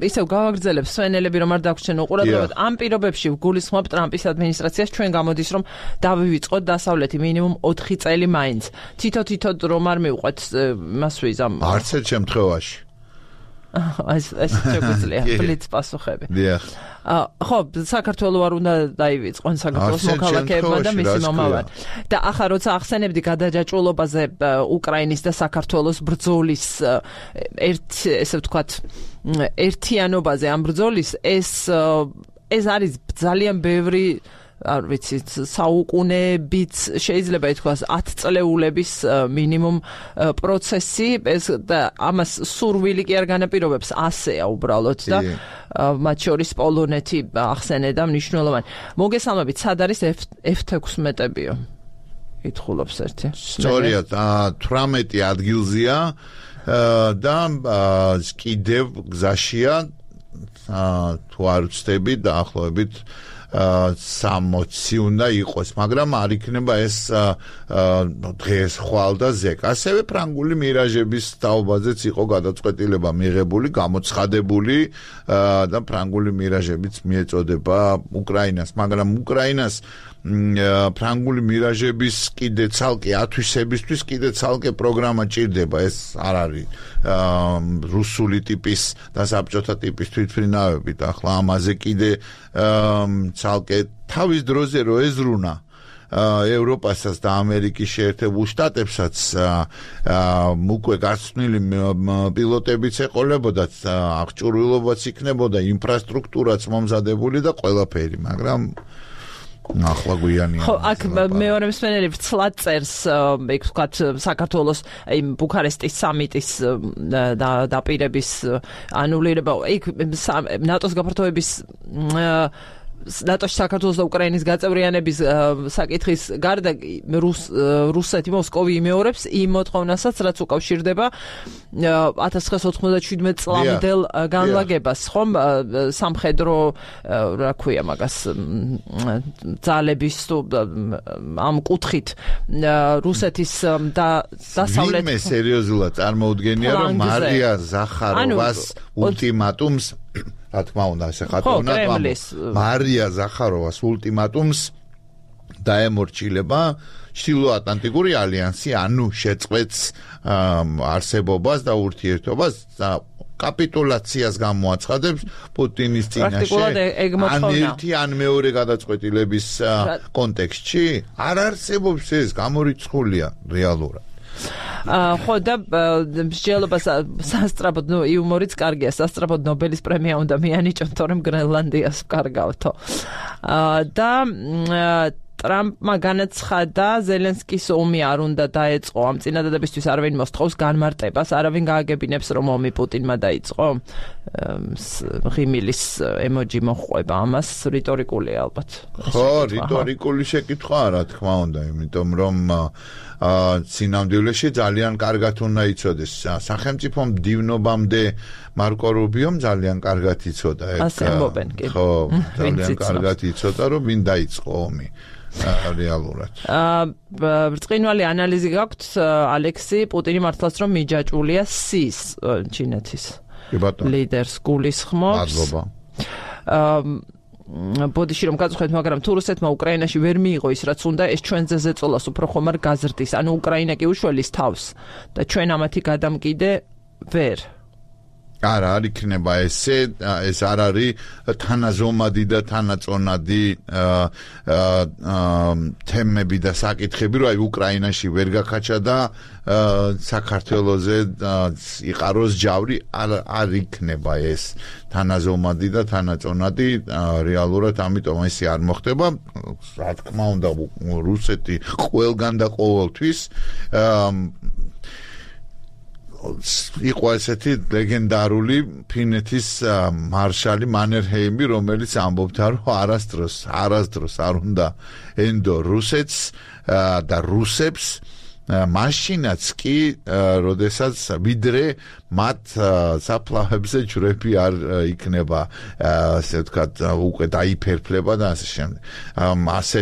ისევ გავაგრძელებ სვენელები რომ არ დაგვრჩენ უყურადღებოდ ამ პირობებში გულისხმობ ტრამპის ადმინისტრაციას ჩვენ გამოდის რომ დავივიწყოთ დასავლეთი მინიმუმ 4 წელი მაინც თითო რომ არ მივყვეთ მასვიზ ამ არც ერთ შემთხვევაში ეს შეგვიძლია ბლიც პასუხები. ხო, საქართველოს არ უნდა დაივიწყონ საქართველოს მოქალაქეებმა და მისი მომავალი. და ახლა როცა ახსენებდი გადაჯაჭვულობაზე უკრაინის და საქართველოს ბრძოლის ესე ვთქვათ ერთიანობაზე ამ ბრძოლის ეს არის ძალიან ბევრი არ ვიცი საუკუნეებით შეიძლება ითქვას 10 წლეულების მინიმუმ პროცესი ეს და ამას სურვილი კი არ განაპირობებს ასეა უბრალოდ და მათ შორის პოლონეთი ახსენე და მნიშვნელოვანი მოგესალმებით სად არის F-16-ებიო ითხოვობს ერთი სწორია 18 ადგილზეა და კიდევ გზაშია თუ არ ვცდები დაახლოებით 60 უნდა იყოს, მაგრამ არ იქნება ეს დღეს ხვალ და ზეკ. ასევე ფრანგული მირაჟების თაობაზეც იყო გადაწყვეტილება მიღებული, გამოცხადებული და ფრანგული მირაჟებიც მიეწოდება უკრაინას, მაგრამ უკრაინას ფრანგული მირაჟების კიდე ცალკე ათვისებისთვის კიდე ცალკე პროგრამა ჭირდება, ეს არ არის რუსული ტიპის და საბჭოთა ტიპის თვითმფრინავებით. ახლა ამაზე კიდე ცალკე თავის დროზე რო ეზრუნა ევროპასაც და ამერიკის შეერთებულ შტატებსაც უკვე გაცნილი პილოტებიც ეყოლებოდათ, აღჭურვილობაც იქნებოდა, ინფრასტრუქტურაც მომზადებული და ყველაფერი, მაგრამ ახლა გვიანია. ხო, აქ მეორე მსმენელი ვცლად წერს, იქ ვთქვათ, საქართველოს იმ ბუქარესტის სამიტის დაპირების ანულირება, იქ ნატოს გაფართოების ნატოში საქართველოს და უკრაინის გაწევრიანების საკითხის გარდა რუსეთი მოსკოვი იმეორებს იმ მოთხოვნასაც, რაც უკავშირდება 1997 წლამდელ განლაგებას, ხომ სამხედრო რა ქვია მაგას ძალების ამ კუთხით რუსეთის დასავლეთ ვინმე სერიოზულად წარმოუდგენია, რომ მარია ზახაროვას ულტიმატუმს რა თქმა უნდა ესე ხატოვნად მარია ზახაროვას ულტიმატუმს დაემორჩილება ჩრდილოატლანტიკური ალიანსი, ანუ შეწყვეტს არსებობას და ურთიერთობას და კაპიტულაციას გამოაცხადებს პუტინის წინაშე ან ერთი ან მეორე გადაწყვეტილების კონტექსტში არ არსებობს ეს გამორიცხულია რეალურად. ხო და მსჯელობას სასტრაფოდ იუმორიც კარგია, სასტრაფოდ ნობელის პრემია უნდა მიანიჭონ, თორემ გრენლანდიას ვკარგავთო. და ტრამპმა განაცხადა, ზელენსკის ომი არ უნდა დაეწყო, ამ წინადადებისთვის არავინ მოსთხოვს განმარტებას, არავინ გააგებინებს, რომ ომი პუტინმა დაიწყო. ღიმილის ემოჯი მოხვება ამას, რიტორიკულია ალბათ. ხო, რიტორიკული შეკითხვაა, რა თქმა უნდა, იმიტომ რომ სინამდვილეში ძალიან კარგად უნდა იცოდეს. სახელმწიფო მდივნობამდე მარკო რუბიომ ძალიან კარგად იცოდა ეგ. ხო, ძალიან კარგად იცოდა, რომ ვინ დაიწყო ომი. რეალურად. ბრწყინვალე ანალიზი გაქვთ, ალექსი, პუტინი მართლაც რომ მიჯაჭვულია სის ჩინეთის ლიდერს გულისხმობს. მადლობა. ბოდიში რომ გაწუხეთ, მაგრამ თუ რუსეთმა უკრაინაში ვერ მიიღო ის რაც უნდა, ეს ჩვენზე ზეწოლას უფრო ხომ არ გაზრდის. ანუ უკრაინა კი უშველის თავს და ჩვენ ამათი გადამკიდე ვერ. არა, არ იქნება ესე, ეს არ არის თანაზომადი და თანაწონადი თემები და საკითხები, რომ აი უკრაინაში ვერ გაქაჩა და საქართველოზე იყაროს ჯავრი, არ იქნება ეს თანაზომადი და თანაწონადი რეალურად, ამიტომ ესე არ მოხდება. რა თქმა უნდა, რუსეთი ყველგან და ყოველთვის იყო ესეთი ლეგენდარული ფინეთის მარშალი მანერჰეიმი, რომელიც ამბობდა, რომ არასდროს არ უნდა ენდო რუსეთს და რუსებს მაშინაც კი, როდესაც ვიდრე მათ საფლავებზე ჯვრები არ იქნება, ასე ვთქვათ, უკვე დაიფერფლება და ასე შემდეგ. ასე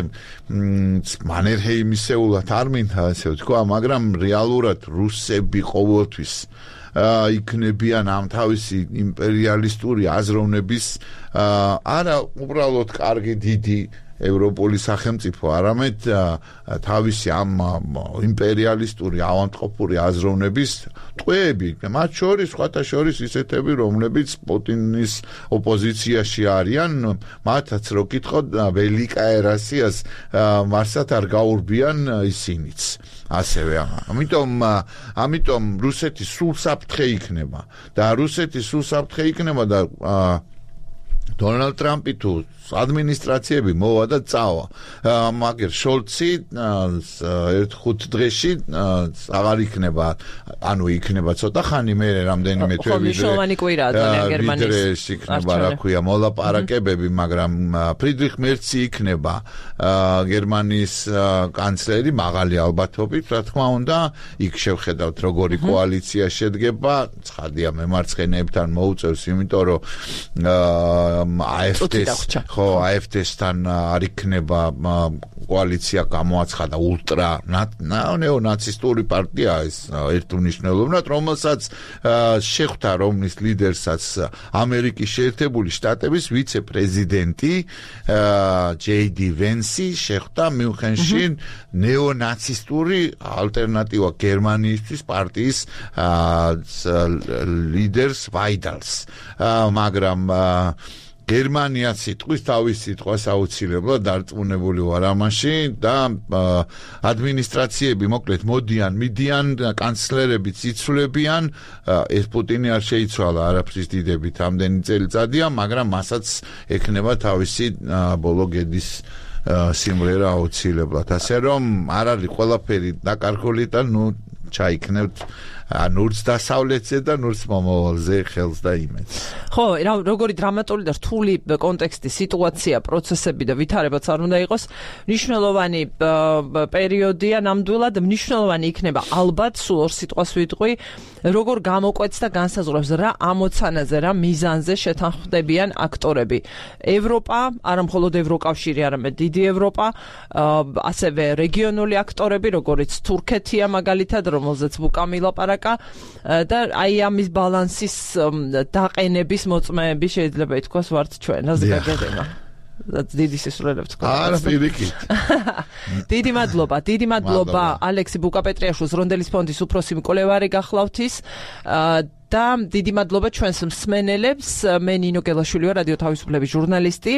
მანერჰეიმისეულად არ მინდა ასე ვთქვა, მაგრამ რეალურად რუსები ყოველთვის იქნებიან ამ თავისი იმპერიალისტური აზროვნების არა უბრალოდ კარგი დიდი ევროპული სახელმწიფო, არამედ თავისი ამ იმპერიალისტური ავადმყოფური აზროვნების ტყვეები, მათ შორის სხვათა შორის ისეთები, რომლებიც პუტინის ოპოზიციაში არიან, მათაც რო კითხოთ ველიკაე რასიას მარსად არ გაურბიან ისინიც. ასევე ამიტომ რუსეთი სულ საფრთხე იქნება და რუსეთი სულ საფრთხე იქნება და დონალდ ტრამპი თუ ადმინისტრაციები მოვა და წავა. მაგერ შოლცი 1-5 დღეში აღარ იქნება, ანუ იქნება ცოტა ხანი მერე რამდენიმე თვე ვიდრე იქნება, რა ქვია, მოლაპარაკებები, მაგრამ ფრიდრიხ მერცი იქნება გერმანიის კანცლერი მაღალი ალბათობით, რა თქმა უნდა, იქ შევხედავთ როგორი კოალიცია შედგება, ცხადია მემარცხენეებთან მოუწევს, იმიტომ რომ AfD-სთან არ იქნება კოალიცია გამოაცხადა ულტრა ნეონაცისტური პარტია ეს ერთმნიშვნელოვნად, რომელსაც შეხვდა, რომლის ლიდერსაც ამერიკის შეერთებული შტატების ვიცე-პრეზიდენტი JD Vance შეხვდა მიუნხენში ნეონაცისტური ალტერნატივა გერმანიისთვის პარტიის ლიდერს ვაიდალს, მაგრამ გერმანია სიტყვის თავის სიტყვას აუცილებლად დარწმუნებული ვარ ამაში და ადმინისტრაციები მოკლედ მიდიან კანცლერებიც იცვლებიან, ეს პუტინი არ შეიცვალა არაფრის დიდებით ამდენი წელიწადია, მაგრამ მასაც ექნება თავისი ბოლო გედის სიმღერა აუცილებლად, ასე რომ არ არის ყველაფერი დაკარგული და ჩაიქნევთ ნურც დასავლეთზე და ნურც მომავალზე ხელს და იმედს. ხო, როგორი დრამატული და რთული კონტექსტი, სიტუაცია, პროცესები და ვითარებაც არ უნდა იყოს, მნიშვნელოვანი პერიოდია ნამდვილად, მნიშვნელოვანი იქნება ალბათ, სულ ორ სიტყვას ვიტყვი, როგორ გამოკვეთს და განსაზღვრებს რა ამოცანაზე, რა მიზანზე შეთანხმდებიან აქტორები. ევროპა, არა მხოლოდ ევროკავშირი, არამედ დიდი ევროპა, ასევე რეგიონული აქტორები, როგორიც თურქეთია მაგალითად, რომელზეც ბუკამი ლაპარაკა და აი ამის ბალანსის დაყენების მოწმეები შეიძლება ითქვას ვართ ჩვენ, ასე გაგედება. დიდი სისულელებს თქვა. არა, პირიქით. დიდი მადლობა ალექსი ბუკაპეტრიაშვილს, რონდელის ფონდის უფროსი მკვლევარი გახლავთ ის და დიდი მადლობა ჩვენს მსმენელებს. მე ნინო გელაშვილი ვარ, რადიო თავისუფლების ჟურნალისტი.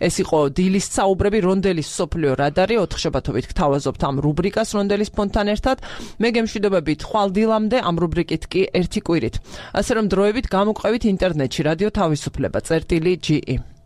ეს იყო დილის საუბრები, რონდელის სოფლიო რადარი. 4 შაბათობით გთავაზობთ ამ რუბრიკას რონდელის ფონდთან ერთად. მე გემშვიდობებით ხვალ დილამდე, ამ რუბრიკით კი ერთი კვირით. ასე რომ დროებით გამოყვებით ინტერნეტში რადიო თავისუფლება წერტილი GE.